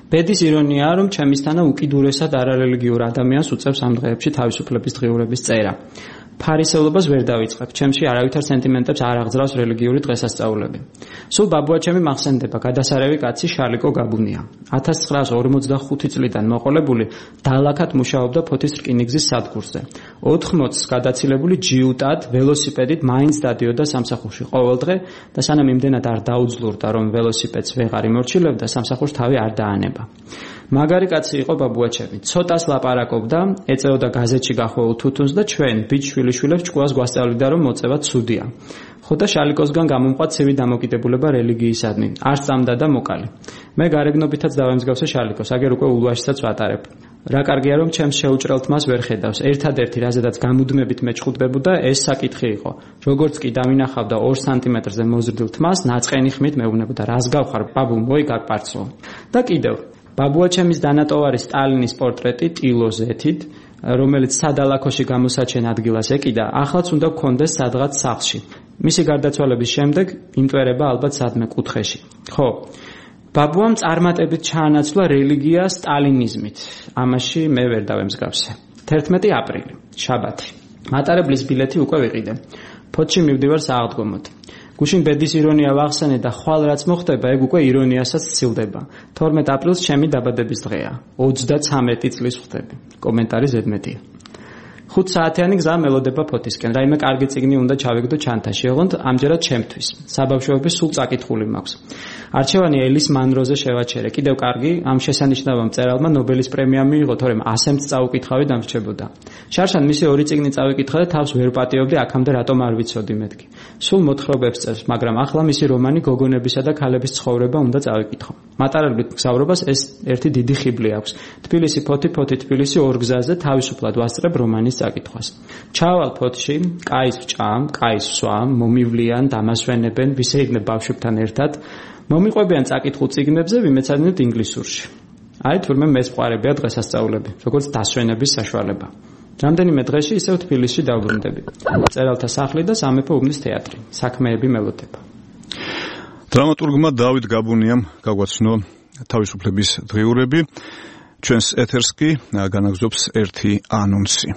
ბედის ირონიაა, რომ ჩემისთანა უკიდურესად არარელიგიურ ადამიანს უწევს ამ დღეებში თავისუფლების დღიურების წერა. ფარისევლობას ვერ დავიწყებ. ჩემში არავითარ სენტიმენტებს არ აღძრავს რელიგიური დღესასწაულები. სულ ბაბუაჩემი მახსენდება, გადასარევი კაცი შალიკო გაბუნია. ათას ცხრაას ორმოცდახუთი წლიდან მოყოლებული დალაქად მუშაობდა ფოთის რკინიგზის სადგურზე. ოთხმოცს გადაცილებული ჯიუტად, ველოსიპედით მაინც დადიოდა სამსახურში ყოველდღე და სანამ იმდენად არ დაუძლურდა, რომ ველოსიპედს ვეღარ იმორჩილებდა, სამსახურს თავი არ დაანება. მაგარი კაცი იყო ბაბუაჩემი. ცოტას ლაპარაკობდა, ეწეოდა გაზეთში გახვეულ თუთუნს და ჩვენ ბიჭშვილიშვილებს ჭკუას გვასწავლიდა, რომ მოწევა ცუდია. ხო და შალიკოსგან გამომყვა ცივი დამოკიდებულება რელიგიისადმი. არ სწამდა და მოკალი. მე გარეგნობითაც დავემსგავსე შალიკოს, აგერ უკვე ულვაშსაც ვატარებ. რა კარგია, რომ ჩემს შეუჭრელ თმას ვერ ხედავს. ერთადერთი, რაზედაც გამუდმებით მეჭყუდდებოდა, ეს საკითხი იყო. როგორც კი დავინახავდა ორ სანტიმეტრზე მოზრდილ თმას, ნაწყენი ხმით მეუბნებოდა, რას გავხარ, ბაბუ, მოიგარ პარცო. და კიდევ ბაბუაჩემის დანატოვარი სტალინის პორტრეტი ტილოზეთით, რომელიც სადალაქოში გამოსაჩენ ადგილას ეკიდა, ახლაც უნდა გქონდეს სადღაც სახლში. მისი გარდაცვალების შემდეგ იმტვერება ალბათ სადმე კუთხეში. ხო, ბაბუამ წარმატებით ჩაანაცვლა რელიგია სტალინიზმით. ამაში მე ვერ დავემსგავსე. თერთმეტი აპრილი, შაბათი. მატარებლის ბილეთი უკვე ვიყიდე. ფოთში მივდივარ სააღდგომოდ. გუშინ ბედის ირონია ვახსენე და ხვალ რაც მოხდება, ეგ უკვე ირონიასაც სცილდება. თორმეტ აპრილს ჩემი დაბადების დღეა. ოცდაცამეტი წლის ვხდები. კომენტარი ზედმეტია. ხუთ საათიანი გზა მელოდება ფოთისკენ. რაიმე კარგი წიგნი უნდა ჩავიგდო ჩანთაში, ოღონდ ამჯერად ჩემთვის. საბავშვოების სულ წაკითხული მაქვს. არჩევანი ელის მანროზე შევაჩერე. კიდევ კარგი, ამ შესანიშნავ მწერალმა ნობელის პრემია მიიღო, თორემ ასემც წაუკითხავი დამრჩებოდა. შარშან მისი ორი წიგნი წავიკითხა და თავს ვერ პატიობდი, აქამდე რატომ არ ვიცოდი მეთქი. სულ მოთხრობებს წერს, მაგრამ ახლა მისი რომანი გოგონებისა და ქალების ცხოვრება უნდა წავიკითხო. მატარებლით მგზავრობას ეს ერთი დიდი ხიბლი აქვს. თბილისი ფოთი, ფოთი თბილისი ორ გზაზე თავისუფლად ვასწრებ რომანის წაკითხვას. ჩავალ ფოთში, კაის ვჭამ, კაის ვსვამ, მომივლიან, დამასვენებენ, ვისეირნებ ბავშვებთან ერთად. მომიყვებიან წაკითხულ წიგნებზე, ვიმეცადინებთ ინგლისურში. აი თურმე მეც ვყარებია დღესასწაულები, როგორც დასვენების საშუალება. რამდენიმე დღეში ისევ თბილისში დავბრუნდები. წერალთა სახლი და სამეფო უბნის თეატრი. საქმეები მელოდება. დრამატურგმა დავით გაბუნიამ გაგვაცნო თავისუფლების დღიურები. ჩვენს ეთერს კი განაგზობს ერთი ანონსი.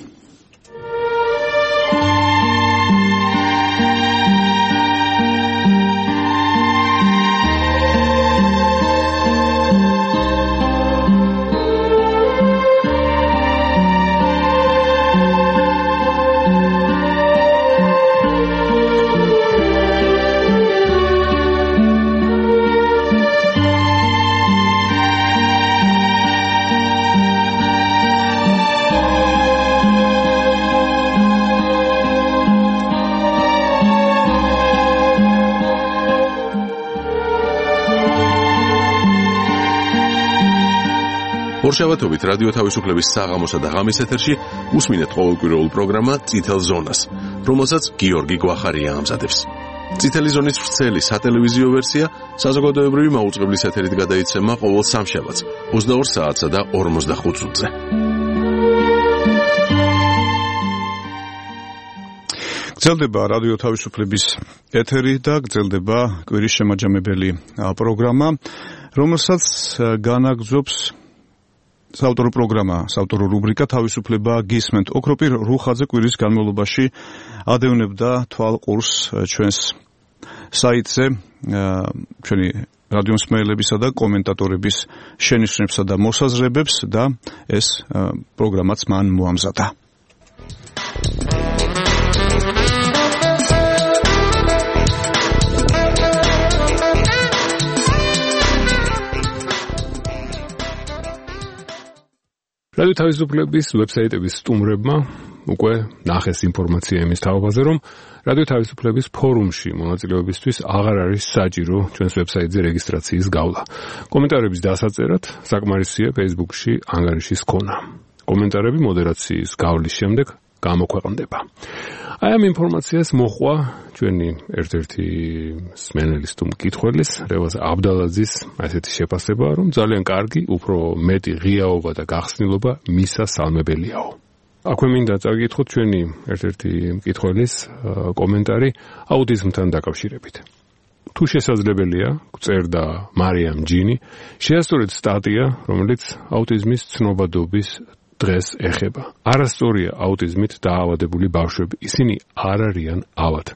ორშაბათობით რადიო თავისუფლების საღამოსა და ღამის ეთერში უსმინეთ ყოველკვირეულ პროგრამა წითელ ზონას, რომელსაც გიორგი გვახარია ამზადებს. წითელი ზონის ვრცელი სატელევიზიო ვერსია საზოგადოებრივი მაუწყებლის ეთერით გადაიცემა ყოველ სამშაბათს ოცდაორ საათსა და ორმოცდახუთ წუთზე. გრძელდება რადიო თავისუფლების ეთერი და გრძელდება კვირის შემაჯამებელი პროგრამა, რომელსაც განაგზობს საავტორო პროგრამა, საავტორო რუბრიკა თავისუფლება გისმენთ. ოქროპირ რუხაძე კვირის განმავლობაში ადევნებდა თვალყურს ჩვენს საიტზე ჩვენი რადიო მსმენელებისა და კომენტატორების შენიშვნებსა და მოსაზრებებს და ეს პროგრამაც მან მოამზადა. რადიო თავისუფლების ვებსაიტების სტუმრებმა უკვე ნახეს ინფორმაცია იმის თაობაზე, რომ რადიო თავისუფლების ფორუმში მონაწილეობისთვის აღარ არის საჭირო ჩვენს ვებსაიტზე რეგისტრაციის გავლა. კომენტარების დასაწერად საკმარისია Facebook-ში ანგარიშის ქონა. კომენტარები მოდერაციის გავლის შემდეგ გამოქვეყნდება. აი ამ ინფორმაციას მოყვა ჩვენი ერთ-ერთი სმენელის თუ მკითხველის რევაზ აბდალაძის ასეთი შეფასება, რომ ძალიან კარგი, უფრო მეტი ღიაობა და გახსნილობა მისასალმებელიაო. აქვე მინდა წაგიკითხოთ ჩვენი ერთ-ერთი მკითხველის კომენტარი აუტიზმთან დაკავშირებით. თუ შესაძლებელია, გწერდა მარიამ ჯინი, შეასწორეთ სტატია, რომელიც აუტიზმის ცნობადობის დღეს ეხება. არასწორია აუტიზმით დაავადებული ბავშვები. ისინი არ არიან ავად.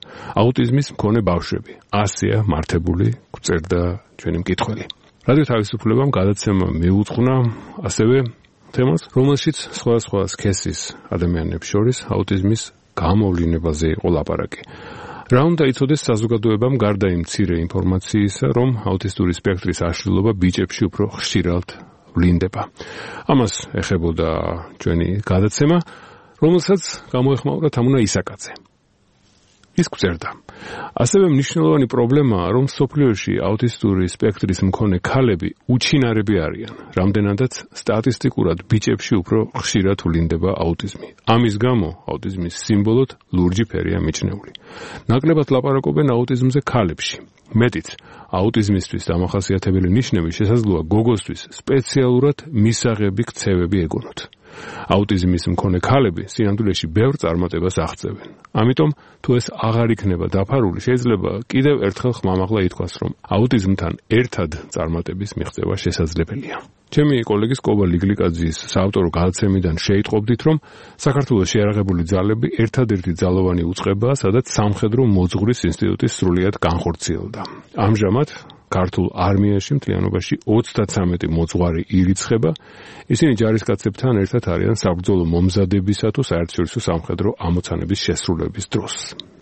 აუტიზმის მქონე ბავშვები. ასეა მართებული, გწერდა ჩვენი მკითხველი. რადიო თავისუფლებამ გადაცემა მიუძღვნა ასევე თემას, რომელშიც სხვადასხვა სქესის ადამიანებს შორის აუტიზმის გამოვლინებაზე იყო ლაპარაკი. რა უნდა იცოდეს საზოგადოებამ გარდა იმ მცირე ინფორმაციისა, რომ აუტისტური სპექტრის აშლილობა ბიჭებში უფრო ხშირად ვლინდება. ამას ეხებოდა ჩვენი გადაცემა, რომელსაც გამოეხმაურა თამუნა ისაკაძე. ის გწერდა. ასევე მნიშვნელოვანი პრობლემაა, რომ სოფლიოში აუტისტური სპექტრის მქონე ქალები უჩინარები არიან, რამდენადაც სტატისტიკურად ბიჭებში უფრო ხშირად ვლინდება აუტიზმი. ამის გამო აუტიზმის სიმბოლოდ ლურჯი ფერია მიჩნეული. ნაკლებად ლაპარაკობენ აუტიზმზე ქალებში. მეტიც, აუტიზმისთვის დამახასიათებელი ნიშნები შესაძლოა გოგოსთვის სპეციალურად მისაღები ქცევები ეგონოთ. აუტიზმის მქონე ქალები სინამდვილეში ბევრ წარმატებას აღწევენ. ამიტომ, თუ ეს აღარ იქნება დაფარული, შეიძლება კიდევ ერთხელ ხმამაღლა ითქვას, რომ აუტიზმთან ერთად წარმატების მიღწევა შესაძლებელია. ჩემი კოლეგის კობა ლიგლიკაძის საავტორო გადაცემიდან შეიტყობდით, რომ საქართველოს შეიარაღებული ძალები ერთადერთი ძალოვანი უწყებაა, სადაც სამხედრო მოძღვრის ინსტიტუტი სრულიად განხორციელდა. ამჟამად ქართულ არმიაში მთლიანობაში ოცდათვრამეტი მოძღვარი ირიცხება. ისინი ჯარისკაცებთან ერთად არიან საბრძოლო მომზადებისა თუ საერთაშორისო სამხედრო ამოცანების შესრულების დროს.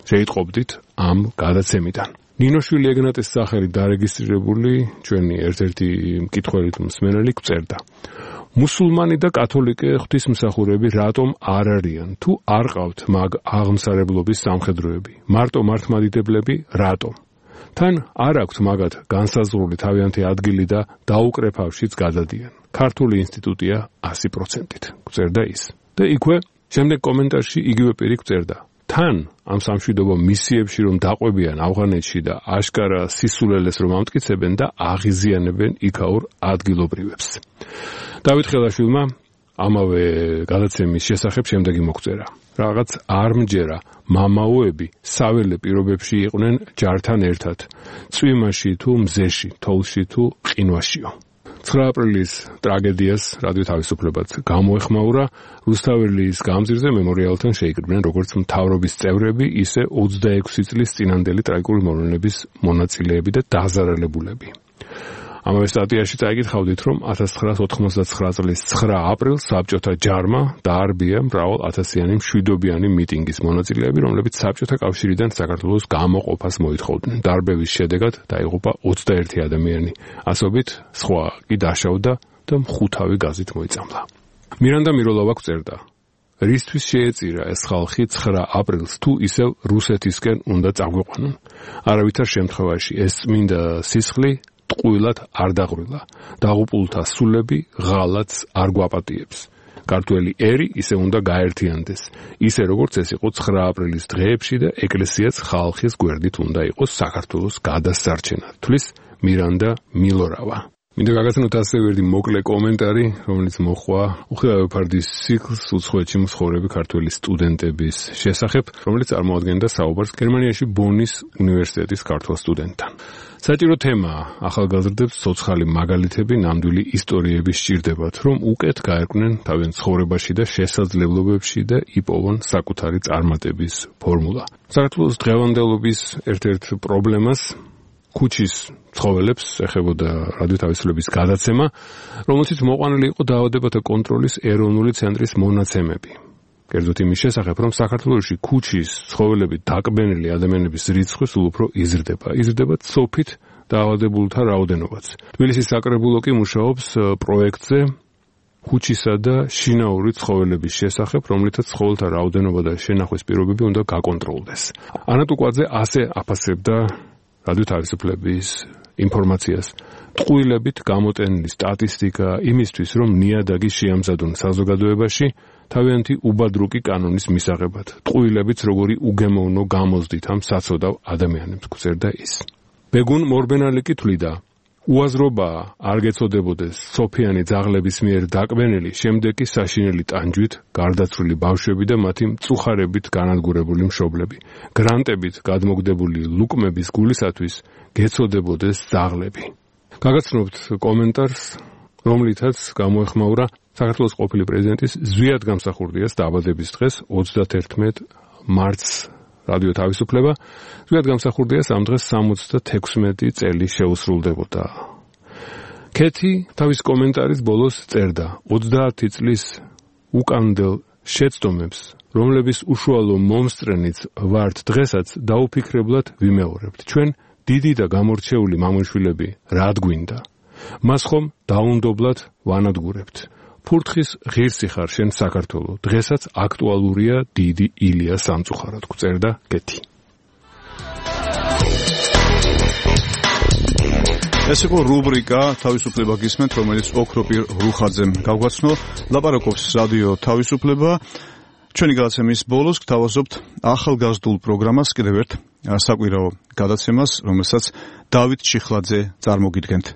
შეიტყობდით ამ გადაცემიდან. ნინოშვილი ეგნატეს სახელი დარეგისტრირებული ჩვენი ერთ-ერთი მკითხველი თუ მსმენელი გწერდა. მუსულმანი და კათოლიკე ღვთისმსახურები რატომ არ არიან? თუ არ ყავთ მაგ აღმსარებლობის სამხედროები, მარტო მართლმადიდებლები რატომ? თან არ აქვთ მაგათ განსაზღვრული თავიანთი ადგილი და დაუკრეფავშიც გადადიან. ქართული ინსტიტუტია ასი პროცენტით, გწერდა ის. და იქვე შემდეგ კომენტარში იგივე პირი გწერდა. თან ამ სამშვიდობო მისიებში რომ დაყვებიან ავღანეთში და აშკარა სისულელეს რომ ამტკიცებენ და აღიზიანებენ იქაურ ადგილობრივებს. დავით ხელაშვილმა ამავე გადაცემის შესახებ შემდეგი მოგვწერა. რაღაც არ მჯერა, მამაოები საველე პირობებში იყვნენ ჯართან ერთად, წვიმაში თუ მზეში, თოვლში თუ ყინვაშიო. ცხრა აპრილის ტრაგედიას რადიო თავისუფლებაც გამოეხმაურა, რუსთაველის გამზირზე მემორიალთან შეიკრიბნენ როგორც მთავრობის წევრები, ისე ოცდაექვსი წლის წინანდელი ტრაგიკული მოვლენების მონაწილეები და დაზარალებულები. ამავე სტატიაში წაიკითხავდით, რომ ათას ცხრაას ოთხმოცდაცხრა წლის ცხრა აპრილს საბჭოთა ჯარმა დაარბია მრავალ ათასიანი მშვიდობიანი მიტინგის მონაწილეები, რომლებიც საბჭოთა კავშირიდან საქართველოს გამოყოფას მოითხოვდნენ. დარბევის შედეგად დაიღუპა ოცდაერთი ადამიანი, ასობით სხვა კი დაშავდა და მხუთავი გაზით მოიწამლა. მირანდა მიროლავა გვწერდა: რისთვის შეეწირა ეს ხალხი ცხრა აპრილს თუ ისევ რუსეთისკენ უნდა წაგვიყვანონ? არავითარ შემთხვევაში ეს წმინდა სისხლი ტყუილად არ დაღვრილა. დაღუპულთა სულები ღალატს არ გვაპატიებს. ქართველი ერი ისე უნდა გაერთიანდეს, ისე როგორც ეს იყო ცხრა აპრილის დღეებში და ეკლესიაც ხალხის გვერდით უნდა იყოს საქართველოს გადასარჩენად. თვლის მირანდა მილორავა. მინდა გაგაცნოთ ასევე ერთი მოკლე კომენტარი, რომელიც მოხვა უხილავეფარდის ციკლს უცხოეთში მსხოვრები ქართველი სტუდენტების შესახებ, რომელიც წარმოადგენდა საუბარს გერმანიაში ბონის უნივერსიტეტის ქართველ სტუდენტთან. საჭირო თემაა, ახალგაზრდებს ცოცხალი მაგალითები, ნამდვილი ისტორიები სჭირდებათ, რომ უკეთ გაერკვნენ თავიანთ ცხოვრებაში და შესაძლებლობებში და იპოვონ საკუთარი წარმატების ფორმულა. საქართველოს დღევანდელობის ერთ-ერთ პრობლემას ქუჩის ცხოველებს ეხებოდა რადიო თავისუფლების გადაცემა, რომელშიც მოყვანილი იყო დაავადებათა კონტროლის ეროვნული ცენტრის მონაცემები. კერძოდ იმის შესახებ, რომ საქართველოში ქუჩის ცხოველებით დაკბენილი ადამიანების რიცხვი სულ უფრო იზრდება. იზრდება ცოფით დაავადებულთა რაოდენობაც. თბილისის საკრებულო კი მუშაობს პროექტზე ქუჩისა და შინაური ცხოველების შესახებ, რომლითაც ცხოველთა რაოდენობა და შენახვის პირობები უნდა გაკონტროლდეს. ანა ტუკვაძე ასე აფასებდა რადიო თავისუფლების ინფორმაციას. ტყუილებით გამოტენილი სტატისტიკა იმისთვის, რომ ნიადაგი შეამზადონ საზოგადოებაში, თავიანთი უბადრუკი კანონის მისაღებად. ტყუილებიც როგორი უგემოვნო გამოზდით ამ საცოდავ ადამიანებს, გვწერდა ის. ბეგუნ მორბენალი კი თვლიდა, უაზრობაა არ გეწოდებოდეს სოფიანი ძაღლების მიერ დაკბენილი, შემდეგ კი საშინელი ტანჯვით გარდაცვლილი ბავშვები და მათი მწუხარებით განადგურებული მშობლები. გრანტებით გადმოგდებული ლუკმების გულისათვის გეწოდებოდეს ძაღლები. გაგაცნობთ კომენტარს, რომლითაც გამოეხმაურა საქართველოს ყოფილი პრეზიდენტის ზვიად გამსახურდიას დაბადების დღეს ოცდათერთმეტ მარტს რადიო თავისუფლება. ზვიად გამსახურდიას ამ დღეს სამოცდათექვსმეტი წელი შეუსრულდებოდა. ქეთი თავის კომენტარის ბოლოს წერდა: ოცდაათი წლის უკანდელ შეცდომებს, რომლების უშუალო მომსწრენიც ვართ დღესაც, დაუფიქრებლად ვიმეორებთ. ჩვენ დიდი და გამორჩეული მამონშვილები რად გვინდა? მას ხომ დაუნდობლად ვანადგურებთ. ფურთხის ღირსი ხარ შენ საქართველო, დღესაც აქტუალურია დიდი ილია სამწუხაროდ, გვწერდა კეთი. ეს იყო რუბრიკა თავისუფლება გისმენთ, რომელიც ოქროპირ რუხაძემ გავგვაცნო. ლაპარაკობს რადიო თავისუფლება. ჩვენი გადაცემის ბოლოს გთავაზობთ ახალგაზრდულ პროგრამას, კიდევ ერთ საკვირაო გადაცემას, რომელსაც დავით ჩიხლაძე წარმოგიდგენთ.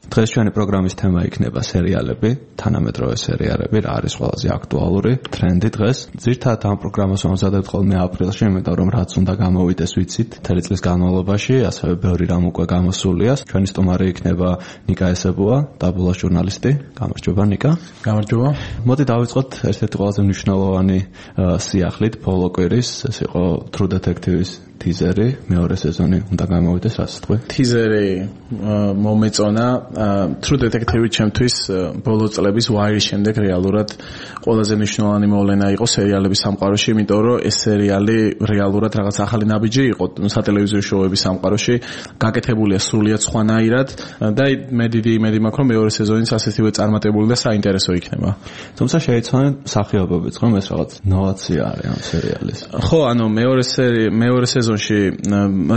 დღეს ჩვენი პროგრამის თემა იქნება სერიალები, თანამედროვე სერიალები, რა არის ყველაზე აქტუალური ტრენდი დღეს. ძირთადად ამ პროგრამას ვამზადებთ ხოლმე აპრილში, იმიტომ რომ რაც უნდა გამოვიდეს ვიცით, მთელი წლის განმავლობაში, ასევე ბევრი რამ უკვე გამოსულია. ჩვენი სტუმარი იქნება ნიკა ესებუა, დაბლოჟ ჟურნალისტი. გამარჯობა ნიკა. გამარჯობა. მოდი დავიწყოთ ერთ-ერთი ყველაზე მნიშვნელოვანი სიახლით, ბოლო კვირის, ეს იყო True Detective-ის ტიზერი, მეორე სეზონი უნდა გამოვიდეს, რაც თქვი? ტიზერი მომეწონა. True Detective ჩემთვის ბოლო წლების Wire-ის შემდეგ რეალურად ყველაზე მნიშვნელოვანი მოვლენა იყო სერიალების სამყაროში, იმიტომ რომ ეს სერიალი რეალურად რაღაც ახალი ნაბიჯი იყო სატელევიზიო შოუების სამყაროში, გაკეთებულია სრულიად სხვანაირად და მე დიდი იმედი მაქვს, რომ მეორე სეზონიც ასეთივე წარმატებული და საინტერესო იქნება. თუმცა შეიცვალა სახეობებიც, რომ ეს რაღაც ნოვაცია არის ამ სერიალის. ხო, ანუ მეორე სერი მეორე სეზონი სეზონში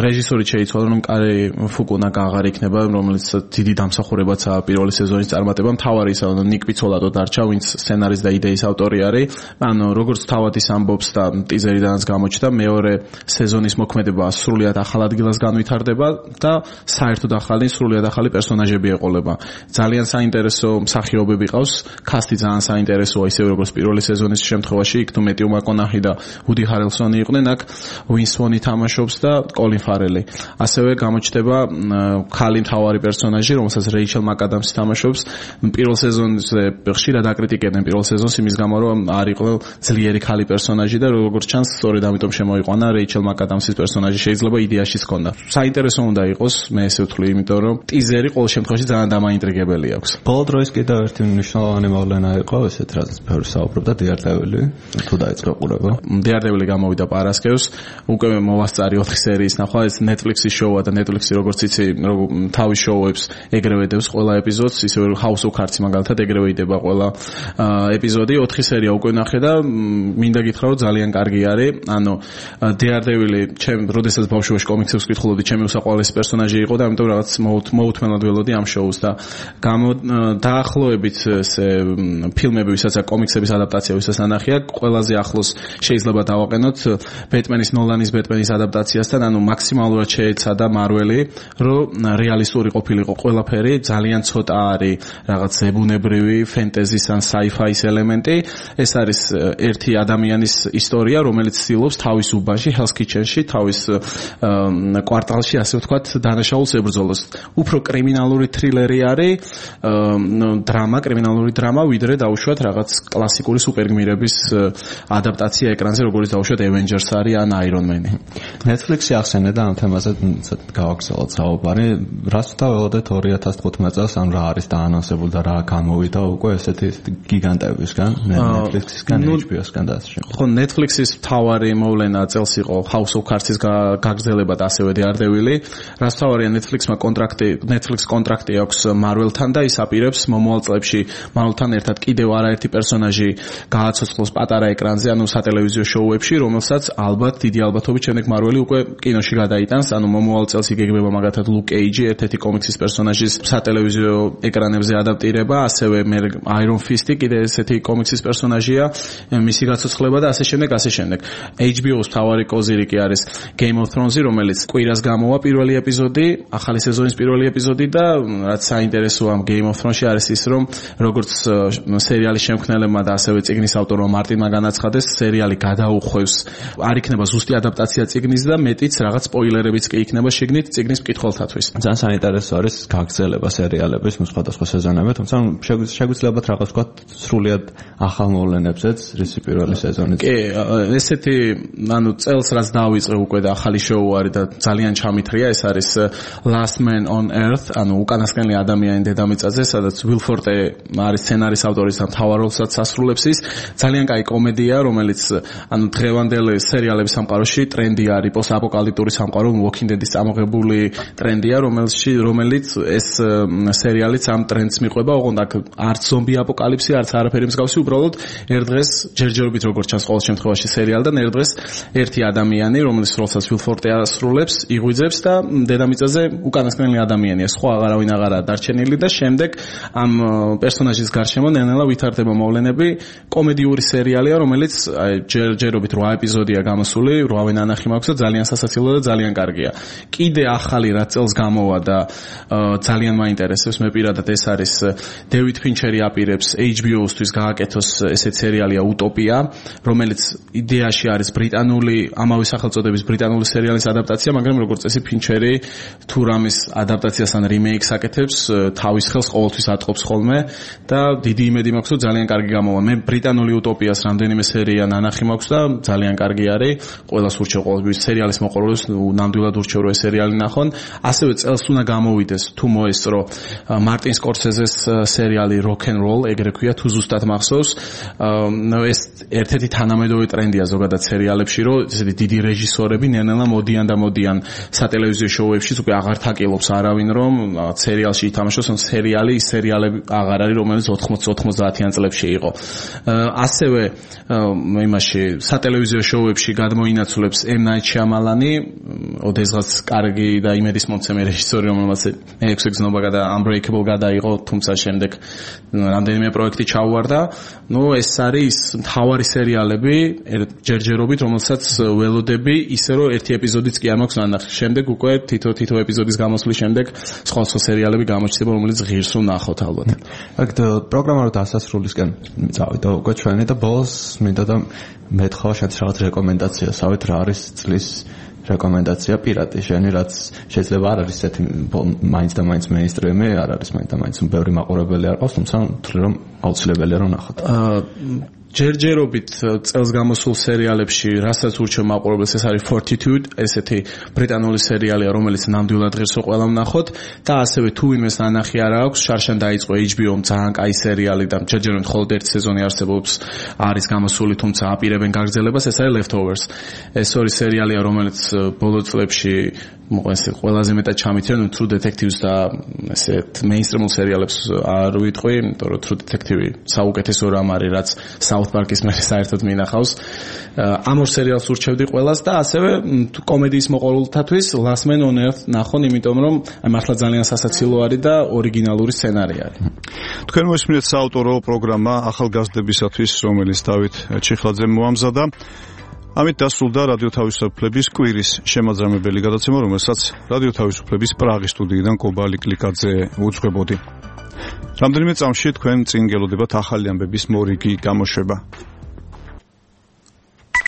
რეჟისორი შეიცვალა, რომ კარი ფუკუნაკა აღარ იქნება, რომელიც დიდი დამსახურებაცაა პირველი სეზონის წარმატება. მთავარი ისა, რომ ნიკ პიცოლატო დარჩა, ვინც სცენარის და იდეის ავტორი არის. ანუ როგორც თავად ის ამბობს და ტიზერიდანაც გამოჩნდა, მეორე სეზონის მოქმედება სრულიად ახალ ადგილას განვითარდება და საერთოდ ახალი, სრულიად ახალი პერსონაჟები ეყოლება. ძალიან საინტერესო მსახიობები ყავს, კასტი ძალიან საინტერესოა, ისევე როგორც პირველი სეზონის შემთხვევაში, იქ თუ მეტიუ მაკონაჰი და უდი ჰარელსონი იყვნენ, აქ უინსონი თამაშობს და კოლინ ფარელი. ასევე გამოჩნდება ქალი მთავარი პერსონაჟი, რომელსაც რეიჩელ მაკადამსი თამაშობს. პირველ სეზონზე ხშირად აკრიტიკებდნენ პირველ სეზონს იმის გამო, რომ არ იყო ძლიერი ქალი პერსონაჟი და როგორც ჩანს, სწორედ ამიტომ შემოიყვანა რეიჩელ მაკადამსის პერსონაჟი, შეიძლება იდეაშიც ჰქონდა. საინტერესო უნდა იყოს, მე ესე ვთვლი, იმიტომ რომ ტიზერი ყოველ შემთხვევაში ძალიან დამაინტრიგებელი აქვს. ბოლო დროის კიდევ ერთი მნიშვნელოვანი მოვლენა იყო, ესეთ რაზეც ბევრი საუბრობდა, დიარდევილი, თუ დაიწყო ყურება. დიარდევილი გამოვიდა პარასკევს, უკვე მოვასწარი ოთხი სერიის ნახვა, ეს Netflix-ის შოუა და Netflix-ი როგორც იცი, თავის შოუებს ეგრევე დევს ყველა ეპიზოდს, ისევე House of Cards-ი მაგალითად ეგრევე იდება ყველა ეპიზოდი, ოთხი სერია უკვე ნახე და მინდა გითხრა, რომ ძალიან კარგი არის. ანუ დიარდევილი, ჩემ როდესაც ბავშვობაში კომიქსებს ვკითხულობდი, ჩემი უსაყვარლესი პერსონაჟი იყო და ამიტომ რაღაც მოუთმენად ველოდი ამ შოუს და გამო დაახლოებით ესე ფილმები, ვისაც კომიქსების ადაპტაცია, ვისაც ნანახია, ყველაზე ახლოს შეიძლება დავაყენოთ ბეტმენის ნოლანის ბეტმენის ადაპტაციასთან, ანუ მაქსიმალურად შეეცადა მარველი, რომ რეალისტური ყოფილიყო ყველაფერი, ძალიან ცოტა არის რაღაც ზებუნებრივი ფენტეზის ან საი-ფაის ელემენტი. ეს არის ერთი ადამიანის ისტორია, რომელიც ცდილობს თავის უბანში, Hell's Kitchen-ში, თავის კვარტალში, ასე ვთქვათ, დანაშაულს ებრძოლოს. უფრო კრიმინალური თრილერი არის, დრამა, კრიმინალური დრამა, ვიდრე დაუშვათ რაღაც კლასიკური სუპერგმირების ადაპტაცია ეკრანზე, როგორც დაუშვათ Avengers არის ან Iron Man-ი. Netflix-ი ახსენე და ამ თემაზე გავაგზავნოთ საუბარი. რას ვთავაზობთ ორი ათას თხუთმეტ წელს, ან რა არის დაანონსებული და რა გამოვიდა უკვე ესეთი გიგანტებისგან, Netflix-ისგან, H B O-სგან და ასე შემდეგ. ხო, Netflix-ის მთავარი მოვლენა წელს იყო House of Cards-ის გაგრძელება და ასევე დიარდევილი. რას თავარია Netflix-მა კონტრაქტი, Netflix კონტრაქტი აქვს Marvel-თან და ის აპირებს მომავალ წლებში Marvel-თან ერთად კიდევ არაერთი პერსონაჟი გააცოცხლოს პატარა ეკრანზე, ანუ სატელევიზიო შოუებში, რომელსაც ალბათ დიდი ალბათობით შემდეგ Marvel-ი უკვე კინოში გადაიტანს, ანუ მომავალ წელს იგეგმება მაგათად Luke Cage-ი, ერთ-ერთი კომიქსის პერსონაჟის სატელევიზიო ეკრანებზე ადაპტირება, ასევე Iron Fist-ი კიდე ესეთი კომიქსის პერსონაჟია, მისი გაცოცხლება და ასე შემდეგ, ასე შემდეგ. H B O-ს მთავარი კოზირი არის Game of Thrones-ი, რომელიც კვირას გამოვა პირველი ეპიზოდი, ახალი სეზონის პირველი ეპიზოდი და რაც საინტერესოა ამ Game of Thrones-ში არის ის, რომ როგორც სერიალის შემქმნელებმა და ასევე წიგნის ავტორმა მარტინმა განაცხადეს, სერიალი გადაუხვევს, არ იქნება ზუსტი ადაპტაცია წიგნის და მეტიც რაღაც სპოილერებიც კი იქნება შეგნით წიგნის მკითხველთათვის. ძალიან საინტერესო არის გაგრძელება სერიალების სხვადასხვა სეზონები, თუმცა შეგვიძლია რაღაც ვთქვათ სრულიად ახალ მოვლენებზეც რისი პირველი სეზონი. კი, ესეთი ანუ წელს რაც დავიწყე უკვე და ახალი შოუ არის და ძალიან ჩამithრია, ეს არის Last Man on Earth, ანუ უკანასკნელი ადამიანი დედამიწაზე, სადაც Will Forte არის სცენარის ავტორი და მთავარ როლსაც ასრულებს ის. ძალიან კაი კომედია, რომელიც ანუ დღევანდელი სერიალების სამყაროში ტრენდი არის, პოსტაპოკალიფტური სამყარო, Walking Dead-ის წამოღებული ტრენდია, რომელში რომელიც ეს სერიალიც ამ ტრენდს მიყვება, ოღონდ აქ არც ზომბი აპოკალიფსი, არც არაფერი მსგავსი, უბრალოდ ერთ დღეს ჯერჯერობით როგორც ჩანს ყოველ შემთხვევაში სერიალიდან, ერთ დღეს ერთი ადამიანი, რომელიც როლსაც Will Forte ასრულებს, იღვიძებს და დედამიწაზე უკანასკნელი ადამიანია, სხვა აღარავინ აღარაა დარჩენილი და შემდეგ ამ პერსონაჟის გარშემო ნელ-ნელა ვითარდება მოვლენები. კომედიური სერიალია, რომელიც ჯერჯერობით რვა ეპიზოდია გამოსული, რვავე ნანახი მაქვს და ძალიან სასაცილო და ძალიან კარგია. კიდე ახალი რაც წელს გამოვა და ძალიან მაინტერესებს მე პირადად ეს არის დევიდ ფინჩერი აპირებს H B O-სთვის გააკეთოს ესეთ სერიალია Utopia, რომელიც იდეაში არის ბრიტანული, ამავე სახელწოდების ბრიტანული სერიალის ადაპტაცია, მაგრამ როგორც წესი ფინჩერი თუ რამის ადაპტაციასთან რიმეიქს აკეთებს, თავის ხელს ყოველთვის ატყობს ხოლმე და დიდი იმედი მაქვს, რომ ძალიან კარგი გამოვა. მე ბრიტანული Utopia-ს რამდენიმე სერია ნანახი მაქვს და ძალიან კარგი არის. ყველას ურჩევ ყოველთვის სერიალის მოყოლებს, ნამდვილად ურჩევ რომ ეს სერიალი ნახონ. ასევე წელს უნდა გამოვიდეს თუ მოესწრო მარტინ სკორსეზეს სერიალი Rock and Roll, ეგრე ქვია, თუ ზუსტად მახსოვს. ეს ერთ-ერთი თანამედროვე ტრენდია ზოგადად სერიალებში, რომ ესეთი დიდი რეჟისორები ნელ-ნელა მოდიან და მოდიან სატელევიზიო შოუებში, უკვე აღარ თაკილობს არავინ, რომ სერიალში ითამაშოს, ან სერიალი, ის სერიალები აღარ არის, რომელიც ოთხმოცდაათიან წლებში იყო. ასევე იმაში სატელევიზიო შოუებში გადმოინაცვლებს M. ნაიჩ შიამალანი, ოდესღაც კარგი და იმედის მომცემი რეჟისორი, რომელმაც მე ექვსი გზნობა და Unbreakable გადაიღო, თუმცა შემდეგ რამდენიმე პროექტი ჩაუვარდა. ნუ ეს არის მთავარი სერიალები ჯერჯერობით, რომელსაც ველოდები, ისე რომ ერთი ეპიზოდიც კი არ მაქვს ნანახი. შემდეგ უკვე თითო თითო ეპიზოდის გამოსვლის შემდეგ სხვა სხვა სერიალები გამოჩნდება, რომელიც ღირს ვნახოთ ალბათ. აქ პროგრამა დასასრულისკენ წავიდა უკვე ჩვენი და ბოლოს მინდა და მეთხოვა შენს რაღაც რეკომენდაცია, სავით რა არის წლის რეკომენდაცია პირატი შენი, რაც შეიძლება არ არის ესეთი მაინც და მაინც მეინსტრიმი, არ არის მაინც და მაინც ბევრი მაყურებელი არ ყავს, თუმცა თვლი რომ აუცილებელია რომ ნახოთ. ჯერჯერობით წელს გამოსულ სერიალებში, რასაც ურჩევ მაყურებელს, ეს არის Fortitude, ესეთი ბრიტანული სერიალია, რომელიც ნამდვილად ღირსო ყველამ ნახოთ და ასევე თუ ვინმეს ნანახი არ აქვს, შარშან დაიწყო H B O-მ ძალიან კაი სერიალი და ჯერჯერობით მხოლოდ ერთი სეზონი არსებობს, არის გამოსული, თუმცა აპირებენ გაგრძელებას, ეს არის Leftovers. ეს ორი სერიალია, რომელიც ბოლო წლებში მოყვეს ყველაზე მეტად ჩამითრენ True Detectives და ესეთ მეინსტრიმულ სერიალებს არ ვიტყვი, იმიტომ რომ True Detective საუკეთესო რამ არის, რაც South Park-ის მე საერთოდ მინახავს. ამ ორ სერიალს ურჩევდი ყველას და ასევე კომედიის მოყოლთათვის Last Man on Earth ნახონ, იმიტომ რომ მართლა ძალიან სასაცილო არის და ორიგინალური სცენარი არის. თქვენ მოსმენთ საავტორო პროგრამა ახალგაზრდებისათვის, რომელიც დავით ჩიხლაძემ მოამზადა. ამით დასრულდა რადიო თავისუფლების კვირის შემაძამებელი გადაცემა, რომელსაც რადიო თავისუფლების პრაღის სტუდიიდან კობა ლიკლიკაძე უძღვებოდი. რამდენიმე წამში თქვენ წინ გელოდებათ ახალი ამბების მორიგი გამოშვება.